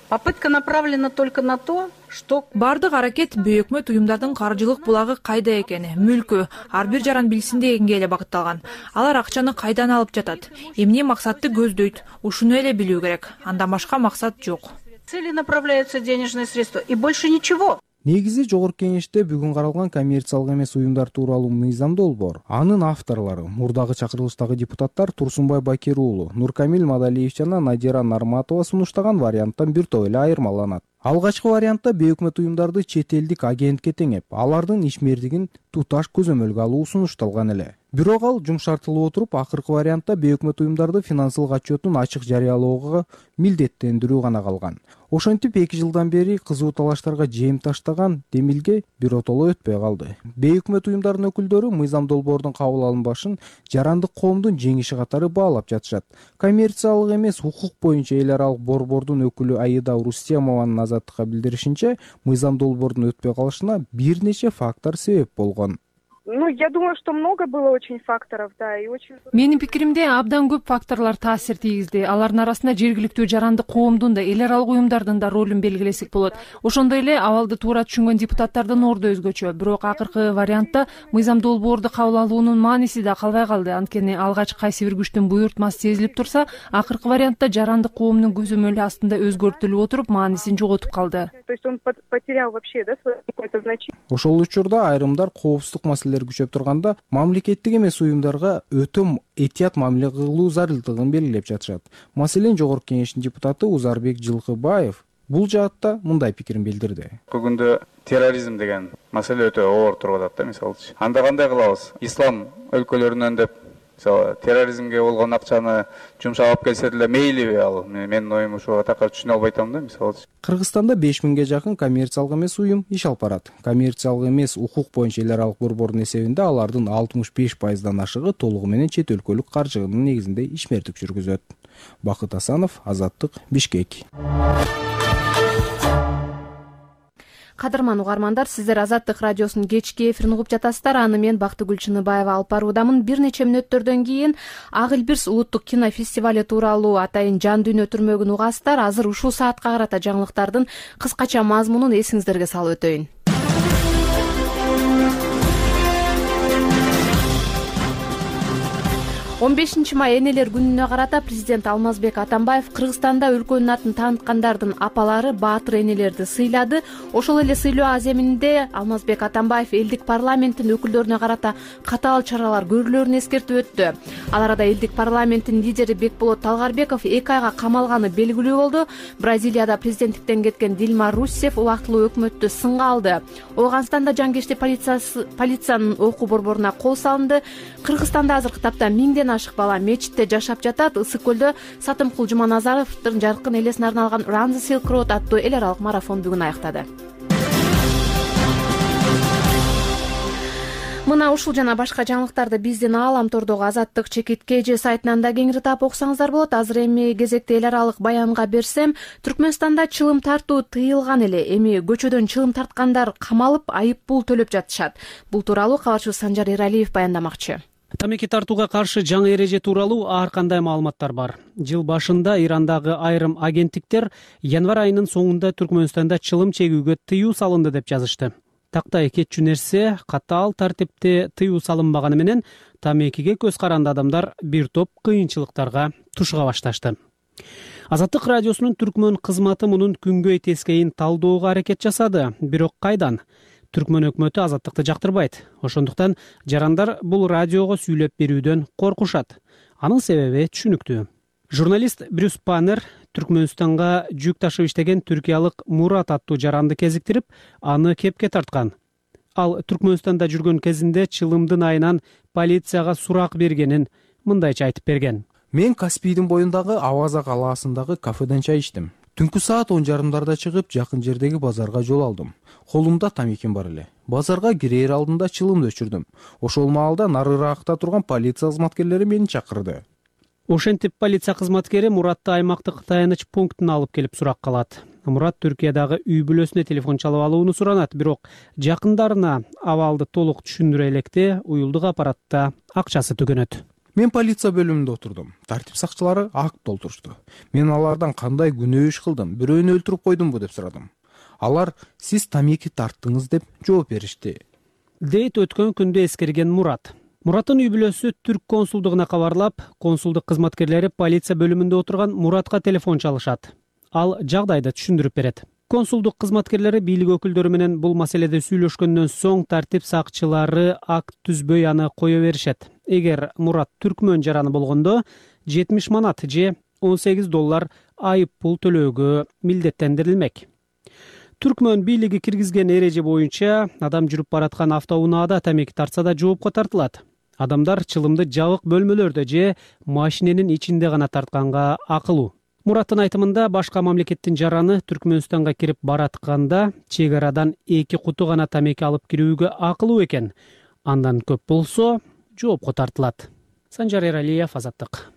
Попытка направлена только на то, что бардык аракет бейөкмөт уюмдардын каржылык булагы кайда экени, мүлкү ар бир жаран билсин дегенге эле багытталган. Алар акчаны кайдан алып жатат, эмне максатты көздөйт, ушуну эле билүү керек. Андан башка максат жок. Цели направляются денежные средства и больше ничего. Негизи жогорку кеңеште бүгүн каралган коммерциялык эмес уюмдар тууралуу мыйзам долбоор. Анын авторлору мурдагы чакырылыштагы депутаттар Турсунбай Бакир уулу, Нуркамил Мадалиев жана Надира Нарматова сунуштаган варианттан бир топ эле айырмаланат. Алгачкы вариантта бейөкмөт уюмдарды чет элдик агентке теңеп, алардын ишмердигин туташ көзөмөлгө алуу сунушталган эле. Бирок ал жумшартылып отуруп, акыркы вариантта бейөкмөт уюмдарды финансылык отчетун ачык жарыялоого милдеттендирүү гана калган. Ошентип эки жылдан бери кызуу талаштарга жем таштаган демилге биротоло өтпөй калды. Бейөкмөт уюмдардын өкүлдөрү мыйзам долбоордун кабыл алынбашын жарандык коомдун жеңиши катары баалап жатышат. Коммерциялык эмес укук боюнча эл аралык борбордун өкүлү Аида Рустемованын Азаттыкка билдиришинче, мыйзам долбоордун өтпөй калышына бир нече фактор себеп болгон. Ну, я думаю, что много было очень факторов, да, и очень... Менин пикиримде абдан көп факторлор таасир тийгизди. Алардын арасында жергиликтүү жаранды коомдун да, эл аралык уюмдардын да ролун белгилесек болот. Ошондой эле абалды туура түшүнгөн депутаттардын орду өзгөчө. Бирок акыркы вариантта мыйзам долбоорду кабыл алуунун мааниси да калбай калды. Анткени алгач кайсы бир күчтүн буйртмасы сезилип турса, акыркы вариантта жарандык коомдун көзөмөлү астында өзгөртүлүп отуруп, маанисин жоготуп калды. То есть он потерял вообще, да, свое какое-то значение. Ошол учурда айрымдар коопсуздук маселелери күчөп турганда мамлекеттик эмес уюмдарга өтө этият мамиле кылуу зарылдыгын белгилеп жатышат. Маселен Жогорку Кеңештин депутаты Узарбек Жылкыбаев бул жаатта мындай пикирин билдирди. Бүгүндө терроризм деген маселе өтө оор туруп атат да, мисалычы. Анда кандай кылабыз? Ислам өлкөлөрүнөн деп мисалы терроризмге болгон акчаны жумшап алып келсе деле мейлиби ал? Менин оюм ушуга такыр түшүнө албай атам да, мисалычы. Кыргызстанда беш миңге жакын коммерциялык эмес уюм иш алып барат. Коммерциялык эмес укук боюнча эл аралык борбордун эсебинде алардын алтымыш беш пайыздан ашыгы толугу менен чет өлкөлүк каржыгынын негизинде ишмердик жүргүзөт. Бакыт Асанов, Азаттык, Бишкек. Кадырман угармандар, сиздер Азаттык радиосунун кечки эфирин угуп жатасыздар. Аны мен Бактыгүл Чыныбаева алып баруудамын. Бир нече мүнөттөрдөн кийин Ак Илбирс улуттук кинофестивали тууралуу атайын жан дүйнө түрмөгүн угасыздар. Азыр ушул саатка карата жаңылыктардын кыскача мазмунун эсиңиздерге салып өтөйүн. он бешинчи май энелер күнүнө карата президент Алмазбек Атамбаев Кыргызстанда өлкөнүн атын тааныткандардын апалары, баатыр энелерди сыйлады. Ошол эле сыйлоо аземинде Алмазбек Атамбаев элдик парламенттин өкүлдөрүнө карата катаал чаралар көрүлөрүн эскертип өттү. Ал арада элдик парламенттин лидери Бекболот Талгарбеков эки айга камалганы белгилүү болду. Бразилияда президенттиктен кеткен Дилма Руссеф убактылуу өкмөттү сынга алды. Ооганстанда жангечтик полициянын окуу борборуна кол салынды. Кыргызстанда азыркы тапта миңден ашык бала мечитте жашап жатат. Ысык көлдө Сатымкул Жуманазаровдун жаркын элесине арналган Run the Silk Road аттуу эл аралык марафон бүгүн аяктады. Мына ушул жана башка жаңылыктарды биздин ааламтордогу Азаттык чекитке же сайтынан да кеңири таап окусаңыздар болот. Азыр эми кезекте эл аралык баянга берсем, Түркмөнстанда чылым тартуу тыйылган эле. Эми көчөдөн чылым тарткандар камалып, айып пул төлөп жатышат. Бул тууралуу кабарчыбыз Санжар Эралиев баяндамакчы. Тамеки тартууга каршы жаңы эреже тууралуу ар кандай маалыматтар бар. Жыл башында Ирандагы айрым агенттиктер январь айынын соңунда Түркмөнстанда чылым чегүүгө тыюу салынды деп жазышты. Тактай кетчү нерсе, катаал тартипте тыюу салынбаганы менен тамекиге көз каранды адамдар бир топ кыйынчылыктарга тушуга башташты. Азаттык радиосунун Түркмөн кызматы мунун күнгөй тескейин талдоого аракет жасады. Бирок кайдан? Түркмөн өкмөтү Азаттыкты жактырбайт. Ошондуктан жарандар бул радиого сүйлөп берүүдөн коркушат. Анын себеби түшүнүктүү. Журналист Брюс Паннер Түркмөнстанга жүк ташып иштеген түркиялык Мурат аттуу жаранды кезиктирип, аны кепке тарткан. Ал Түркмөнстанда жүргөн кезинде чылымдын айынан полицияга сурак бергенин мындайча айтып берген. Мен Каспийдин боюндагы Аваза калаасындагы кафеден чай ичтим. Түнкү саат он жарымдарда чыгып, жакын жердеги базарга жол алдым. Колумда тамеким бар эле. Базарга кирээр алдында чылымды өчүрдүм. Ошол маалда нарыраакта турган полиция кызматкерлери мени чакырды. Ошентип полиция кызматкери Муратты аймактык таяныч пунктуна алып келип сурак калат. Мурат Түркиядагы үй бүлөсүнө телефон чалып алууну суранат, бирок жакындарына абалды толук түшүндүрө электе уюлдук аппаратта акчасы түгөнөт. Мен полиция бөлүмүндө отурдум. Тартип сакчылары акт толтурушту. Мен алардан кандай күнөө иш кылдым, бирөөнү өлтүрүп койдумбу деп сурадым. Алар сиз тамеки тарттыңыз деп жооп беришти. Дейт өткөн күндө эскерген Мурат. Мураттын үй бүлөсү түрк консулдугуна кабарлап, консулдук кызматкерлери полиция бөлүмүндө отурган Муратка телефон чалышат. Ал жагдайды түшүндүрүп берет. Консулдук кызматкерлери бийлик өкүлдөрү менен бул маселеде сүйлөшкөндөн соң тартип сакчылары акт түзбөй аны кое беришет. Эгер Мурат түркмөн жараны болгондо жетимиш манат же он сегиз доллар айып пул төлөөгө милдеттендирилмек. Түркмөн бийлиги киргизген эреже боюнча адам жүрүп бараткан автоунаада тамеки тартса да жоопко тартылат. Адамдар чылымды жабык бөлмөлөрдө же машиненин ичинде гана тартканга акылуу. Мураттын айтымында башка мамлекеттин жараны Түркмөнстанга кирип баратканда чек арадан эки куту гана тамеки алып кирүүгө акылуу экен. Андан көп болсо жоопко тартылат. Санжар Эралиев, Азаттык.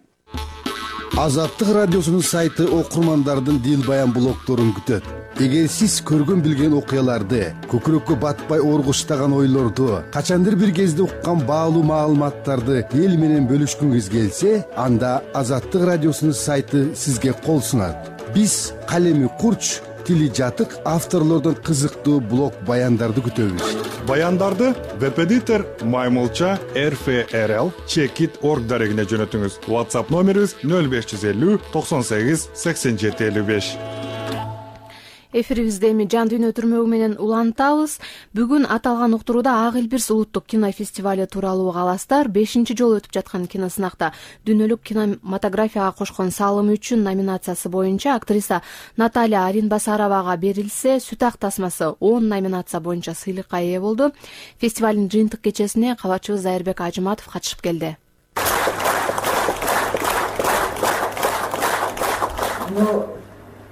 Азаттык радиосунун сайты окурмандардын дил баян блогдорун күтөт. эгер сиз көргөн билген окуяларды, көкүрөккө батпай оргуштаган ойлорду, качандыр бир кезде уккан баалуу маалыматтарды эл менен бөлүшкүңүз келсе, анда Азаттык радиосунун сайты сизге кол сунат. Биз калеми курч, тили жатык авторлордон кызыктуу блог баяндарды күтөбүз. Баяндарды веб-эдитор маймылча эр эф эр эл чекит точка орг дарегине жөнөтүңүз. WhatsApp номерибиз нөл беш жүз элүү токсон сегиз сексен жети элүү беш. Эфирибизде эми жан дүйнө түрмөгү менен улантабыз. Бүгүн аталган уктурууда Ак Элбирс улуттук кинофестивали тууралуу угаласыздар. бешинчи жолу өтүп жаткан киносынакта дүйнөлүк кинематографияга кошкон салымы үчүн номинациясы боюнча актриса Наталья Аринбасаровага берилсе, Сүт ак тасмасы он номинация боюнча сыйлыкка ээ болду. Фестивалдын жыйынтык кечесине кабарчыбыз Айырбек Ажыматов катышып келди.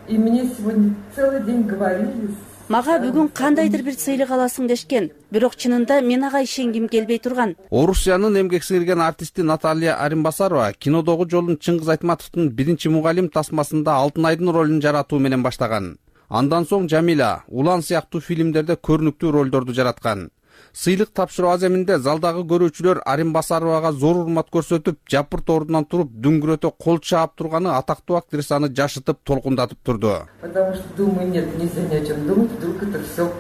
И мне сегодня целый день говорили. Мага бүгүн кандайдыр бир сыйлык аласың дешкен, бирок чынында мен ага ишенгим келбей турган. Орусиянын эмгек сиңирген артисти Наталья Аринбасарова кинодогу жолун Чыңгыз Айтматовдун биринчи мугалим тасмасында Алтын айдын ролун жаратуу менен баштаган. Андан соң Жамила, Улан сыяктуу фильмдерде көрүнүктүү ролдорду жараткан. Сыйлык тапшыруу аземинде залдагы көрүүчүлөр Аринбасаровага зор урмат көрсөтүп, жапырт ордунан туруп, дүңгүрөтө кол чаап турганы атактуу актрисаны жашытып, толкундатып турду. Потому что думаю, нет, нельзя ни о чем думать, вдруг это все.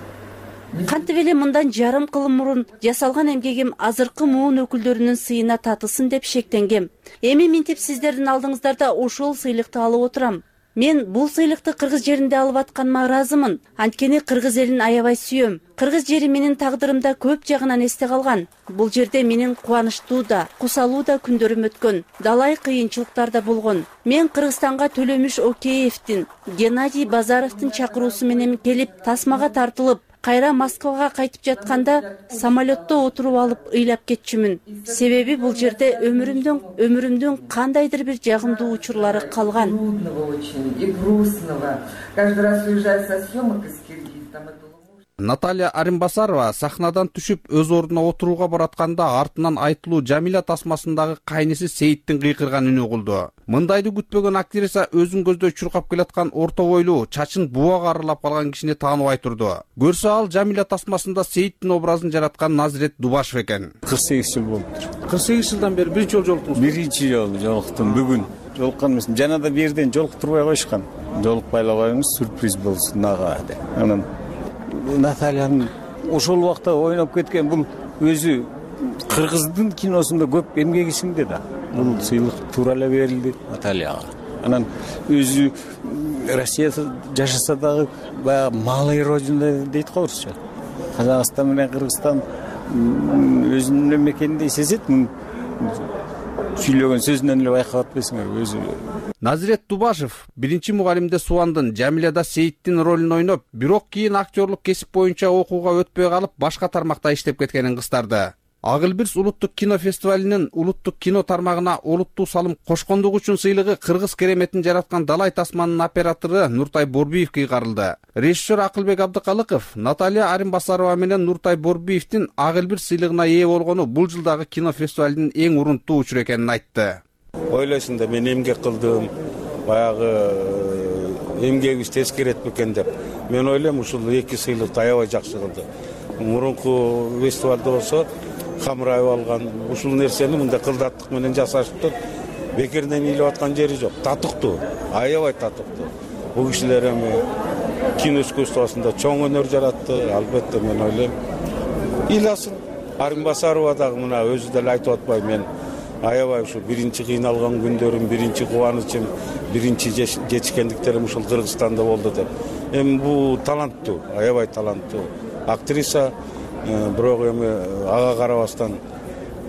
Кантип эле мындан жарым кыл мурун жасалган эмгегим азыркы муун өкүлдөрүнүн сыйына татылсын деп шектенгем. Эми минтип сиздердин алдыңыздарда ошол сыйлыкты алып отурам. Мен бул сыйлыкты кыргыз жеринде алып атканыма ыраазымын. Анткени кыргыз элин аябай сүйөм. Кыргыз жери менин тагдырымда көп жагынан эсте калган. Бул жерде менин кубанычтуу да, кусалуу да күндөрүм өткөн. Далай кыйынчылыктар да болгон. Мен Кыргызстанга Төлөмүш Океевдин, Геннадий Базаровдун чакыруусу менен келип, тасмага тартылып, кайра Москвага кайтып жатканда самолетто отуруп алып ыйлап кетчүмүн. Себеби бул жерде өмүрүмдүн өмүрүмдүн кандайдыр бир жагымдуу учурлары калган. И грустного. Каждый раз уезжая со съемок из Киргизии, там это... Наталья Аринбасарова сахнадан түшүп өз ордуна отурууга баратканда артынан айтылуу Жамила тасмасындагы кайниси Сейиттин кыйкырган үнү угулду. Мындайды күтпөгөн актриса өзүн көздөй чуркап келаткан орто бойлуу, чачын буга арылап калган кишини тааныбай турду. Көрсө ал Жамила тасмасында Сейиттин образын жараткан Назирет Дубашев экен. кырк сегиз жыл болуптур. кырк сегиз жылдан бери биринчи жолу жолуктуңуз? Биринчи жолу жолуктум бүгүн. Жолуккан эмесмин. Жана да бирден жолуктурбай коюшкан. Жолукпай эле коюңуз, сюрприз болсун ага деп. Анан Натальянын ошол убакта ойноп кеткен бул өзү кыргыздын киносунда көп эмгеги сиңди да. Бул сыйлык туура эле берилди Натальяга. Анан өзү Россияда жашаса дагы баягы малый родина дейт го орусча. Казакстан менен Кыргызстан өзүнүн мекениндей сезет. Сүйлөгөн сөзүнөн эле байкап атпайсыңарбы өзү. Назирет Дубашев биринчи мугалимде Суандын, Жамиляда Сейиттин ролун ойноп, бирок кийин актерлук кесип боюнча окууга өтпөй калып, башка тармакта иштеп кеткенин кыстарды. Ак Элбирс улуттук кино фестивалинин улуттук кино тармагына олуттуу салым кошкондугу үчүн сыйлыгы кыргыз кереметин жараткан Далай тасманын оператору Нуртай Борбиевке кыйгарылды. Режиссер Акылбек Абдыкалыков Наталья Аринбасарова менен Нуртай Борбиевдин Ак Элбирс сыйлыгына ээ болгону бул жылдагы кино фестивалинин эң урунттуу учуру экенин айтты. Ойлойсуң да мен эмгек кылдым, баягы эмгегибиз тескерет бекен деп. Мен ойлойм ушул эки сыйлыкты аябай жакшы кылды. Мурунку фестивалда болсо камырайып алган ушул нерсени мындай кылдаттык менен жасашыптыр. Бекерден ыйлап аткан жери жок. Татыктуу, аябай татыктуу. Бул кишилер эми кино искусствосунда чоң өнөр жаратты. Албетте мен ойлойм ыйласын. Аринбасарова дагы мына өзү деле айтып атпай мен аябай ушу биринчи кыйналган күндөрүм, биринчи кубанычым, биринчи жетишкендиктерим ушул Кыргызстанда болду деп. Эми бул таланттуу, аябай таланттуу актриса. Бирок эми ага карабастан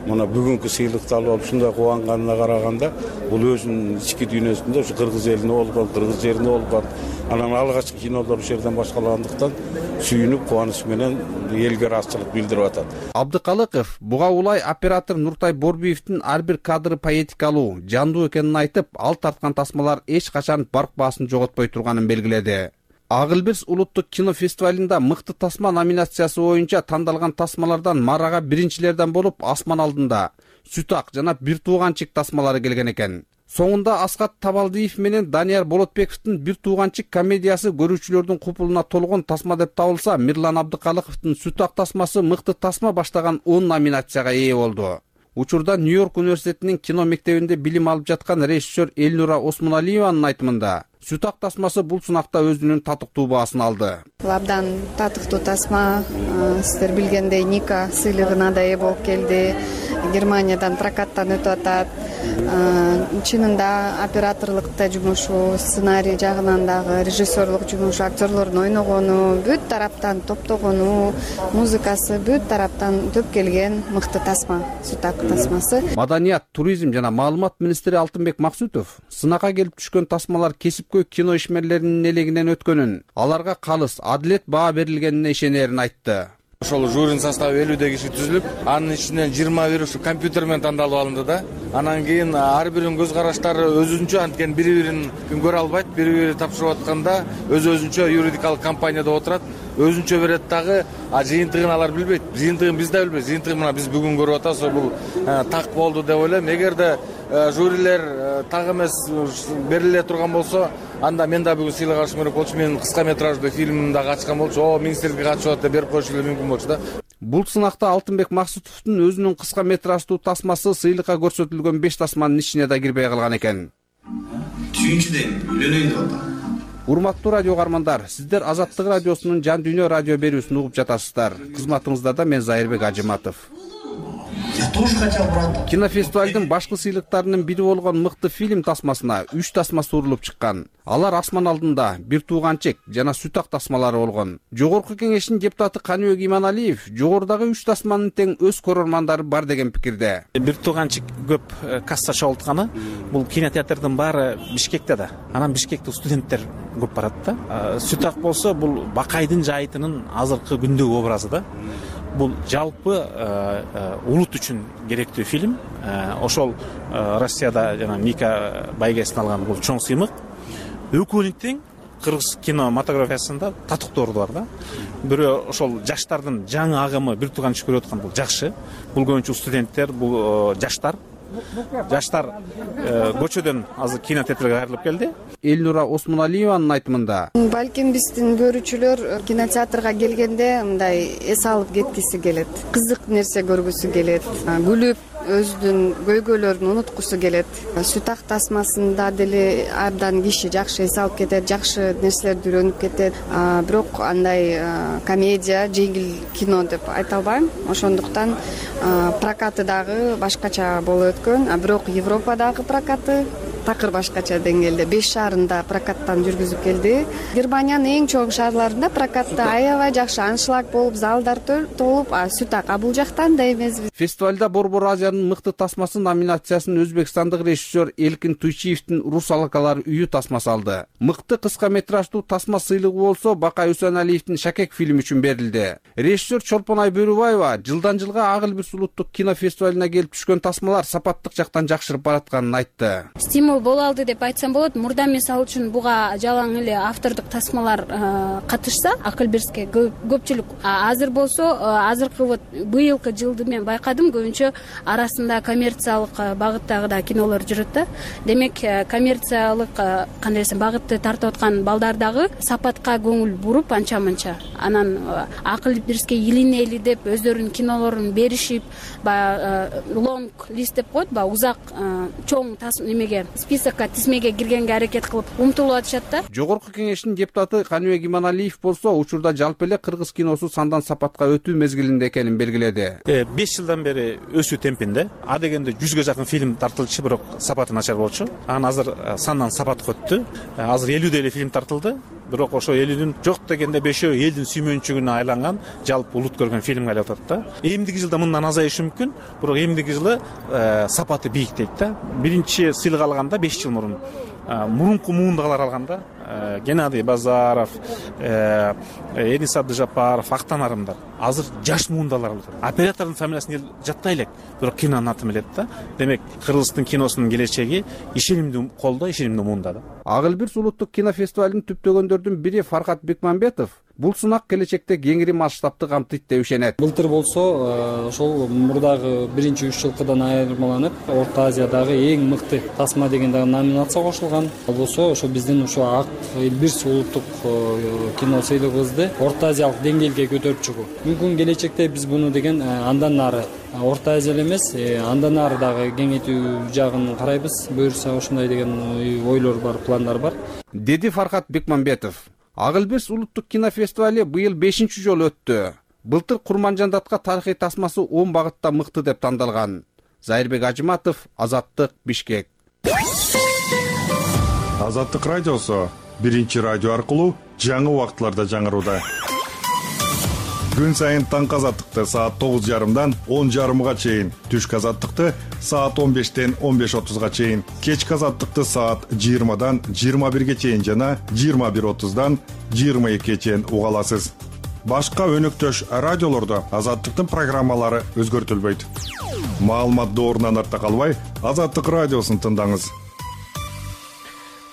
мына бүгүнкү сыйлыкты алып алып ушундай кубанганына караганда бул өзүнүн ички дүйнөсүндө ушу кыргыз элине болгон, кыргыз жерине болгон анан алгачкы кинолор ушул жерден башкалагандыктан сүйүнүп кубаныч менен элге ыраазычылык билдирип атат. Абдыкалыков буга улай оператор Нуртай Борбиевдин ар бир кадры поэтикалуу, жандуу экенин айтып, ал тарткан тасмалар эч качан барк баасын жоготпой турганын белгиледи. Ак Элбирс улуттук кино фестивалинда мыкты тасма номинациясы боюнча тандалган тасмалардан марага биринчилерден болуп Асман алдында, Сүт ак жана Бир тууганчик тасмалары келген экен. Соңунда Аскат Табалдиев менен Данияр Болотбековдун Бир тууганчик комедиясы көрүүчүлөрдүн купулуна толгон тасма деп табылса, Мирлан Абдыкалыковдун Сүт ак тасмасы мыкты тасма баштаган он номинацияга ээ болду. Учурда Нью-Йорк университетинин кино мектебинде билим алып жаткан режиссер Элнура Осмоналиеванын айтымында, Сүт ак тасмасы бул сынакта өзүнүн татыктуу баасын алды. Абдан татыктуу тасма, сиздер билгендей Ника сыйлыгына да ээ болуп келди. Германиядан прокаттан өтүп атат. Чынында операторлукта жумушу, сценарий жагынан дагы, режиссерлук жумушу, актерлордун ойногону, бүт тараптан топтогону, музыкасы бүт тараптан төп келген мыкты тасма, Сүт ак тасмасы. Маданият, туризм жана маалымат министри Алтынбек Максутов сынакка келип түшкөн тасмалар кесипкөй кино ишмерлеринин элегинен өткөнүн, аларга калыс, адилет баа берилгенине ишенерин айтты. Ошол жюринин составы элүүдөй киши түзүлүп, анын ичинен жыйырма бир ушу компьютер менен тандалып алынды да. Анан кийин ар биринин көз караштары өзүнчө, анткени бири бирин көрө албайт, бири бири тапшырып атканда өз өзүнчө юридикалык компанияда отурат, өзүнчө берет дагы, а жыйынтыгын алар билбейт. Жыйынтыгын биз да билбейбиз. Жыйынтыгын мына биз бүгүн көрүп атабыз, бул так болду деп ойлойм. Эгерде жюрилер так эмес бериле турган болсо, анда мен да бүгүн сыйлык алышым керек болчу. Менин кыска метраждуу фильмим дагы ачкан болчу. О, министрликке катышып атат деп берип коюшу эле мүмкүн болчу да. Бул сынакта Алтынбек Максутовдун өзүнүн кыска метраждуу тасмасы сыйлыкка көрсөтүлгөн беш тасманын ичине да кирбей калган экен. Сүйүнчүдөйм, үйлөнөйүн деп атам. Урматтуу радио каармандар, сиздер Азаттык радиосунун Жан Дүйнө радио берүүсүн угуп жатасыздар. Кызматыңызда да мен Зайырбек Ажыматов. Я тоже хотел брат. Кинофестивалдын башкы сыйлыктарынын бири болгон мыкты фильм тасмасына үч тасма сурулуп чыккан. Алар Асман алдында, Бир тууганчик жана Сүт ак тасмалары болгон. Жогорку кеңештин депутаты Каныбек Иманалиев жогорудагы үч тасманын тең өз көрөрмандары бар деген пикирде. Бир тууганчик көп касса чогултканы, бул кинотеатрдын баары Бишкекте да. Анан Бишкекте студенттер көп барат да. Сүт ак болсо бул Бакайдын жайытынын азыркы күндөгү образы да. Бул жалпы улут үчүн керектүү фильм. Ошол Россияда жана Ника байгесин алган бул чоң сыймык. Экөөнүн тең кыргыз кинематографиясында татыктоорду бар да. Бирөө ошол жаштардын жаңы агымы Бир тууганчик көрүп аткан бул жакшы. Бул көбүнчө студенттер, бул жаштар. Жаштар көчөдөн азыр кинотеатрга кайрылып келди. Элнура Осмоналиеванын айтымында, Балким биздин көрүүчүлөр кинотеатрга келгенде мындай эс алып кеткиси келет. Кызык нерсе көргүсү келет. Күлүп өзүнүн көйгөйлөрүн унуткусу келет. Сүт ак тасмасында деле абдан киши жакшы эс алып кетет, жакшы нерселерди үйрөнүп кетет. Бирок андай комедия, жеңил кино деп айта албайм. Ошондуктан прокаты дагы башкача болуп өткөн. А бирок Европадагы прокаты такыр башкача деңгээлде. Беш шаарында прокаттан жүргүзүп келди. Германиянын эң чоң шаарларында прокатты аябай жакшы аншлаг болуп, залдар толуп, а Сүт ак бул жактан да эмес. Фестивалда Борбор Азиянын мыкты тасмасы номинациясын өзбекстандык режиссер Элкин Туйчиевдин Рус алакалар үйү тасмасы алды. Мыкты кыска метраждуу тасма сыйлыгы болсо Бакай Үсөналиевдин Шакек фильми үчүн берилди. Режиссер Чолпонай Бөрүбаева жылдан жылга Ак Элбирс улуттук кинофестивалына келип түшкөн тасмалар сапаттык жактан жакшырып баратканын айтты. Стимул боло алды деп айтсам болот. Мурда мисалы үчүн буга жалаң эле автордук тасмалар катышса, Ак Элбирске көпчүлүк. Азыр болсо, азыркы вот быйылкы жылды мен байкадым, көбүнчө арасында коммерциялык багыттагы да кинолор жүрөт да. Демек, коммерциялык кандай десем багытты тартып аткан балдар дагы сапатка көңүл буруп анча-мынча. Анан Ак Элбирске илинели деп өздөрүнүн кинолорун беришип, баягы лонг лист деп коет, баягы узак чоң немеге списокко тизмеге киргенге аракет кылып умтулуп атышат да. Жогорку кеңештин депутаты Каныбек Иманалиев болсо учурда жалпы эле кыргыз киносу сандан сапатка өтүү мезгилинде экенин белгиледи. беш жылдан бери өсүү темпинде. А дегенде жүзгө жакын фильм тартылчу, бирок сапаты начар болчу. Анан азыр сандан сапатка өттү. Азыр элүүдөй эле фильм тартылды. Бирок ошо элүүдүн жок дегенде бешөө элдин сүймөнчүгүнө айланган, жалпы улут көргөн фильмге айлап атат да. Эмдиги жылда мындан азайышы мүмкүн, бирок эмдиги жылы сапаты бийик дейт да. Биринчи сыйлык алганда беш жыл мурун мурунку муундагылар алганда Геннадий Базаров, Эниса Абдыжапаров, Актан Арымдар азыр жаш муундалар болот. Оператордун фамилиясын жаттай элек, бирок кинонун атын билет да. Демек, Кыргыздын киносунун келечеги ишенимдүү колдо, ишенимдүү муунда да. Ак Элбирс улуттук кинофестивалын түптөгөндөрдүн бири Фаркат Бекмамбетов бул сынак келечекте кеңири масштабты камтыйт деп ишенет. Былтыр болсо ошол мурдагы биринчи үч жылкыдан айырмаланып, Орто Азиядагы эң мыкты тасма деген дагы номинация кошулган. Ал болсо ошо биздин ошо Ак Элбирс улуттук кино сыйлыгыбызды Орто Азиялык деңгээлге көтөрүп чыгуу. Мүмкүн келечекте биз буну деген андан ары Орто Азия эмес, андан ары дагы кеңейтүү жагын карайбыз. Буюрса ошондой деген ойлор бар, пландар бар, деди Фаркат Бекмамбетов. Ак Элбирс улуттук кинофестивали быйыл бешинчи жолу өттү. Былтыр Курманжандатка тарыхый тасмасы он багытта мыкты деп тандалган. Зайырбек Ажыматов, Азаттык, Бишкек. Азаттык радиосу биринчи радио аркылуу жаңы убакытларда жаңырууда. Күн сайын таңкы азаттыкты саат тогуз жарымдан он жарымга чейин, түшкү азаттыкты саат он бештен он беш отузга чейин, кечки азаттыкты саат жыйырмадан жыйырма бирге чейин жана жыйырма бир отуздан жыйырма экиге чейин уга аласыз. Башка өнөктөш радиолордо азаттыктын программалары өзгөртүлбөйт. Маалымат доорунан артта калбай, Азаттык радиосун тыңдаңыз.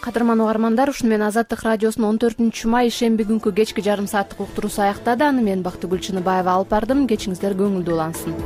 Кадырман угармандар, ушуну менен Азаттык радиосунун он төртүнчү май шемби күнкү кечки жарым сааттык уктуруусу аяктады. Аны мен Бактыгүл Чыныбаева алып бардым. Кечиңиздер көңүлдүү улансын.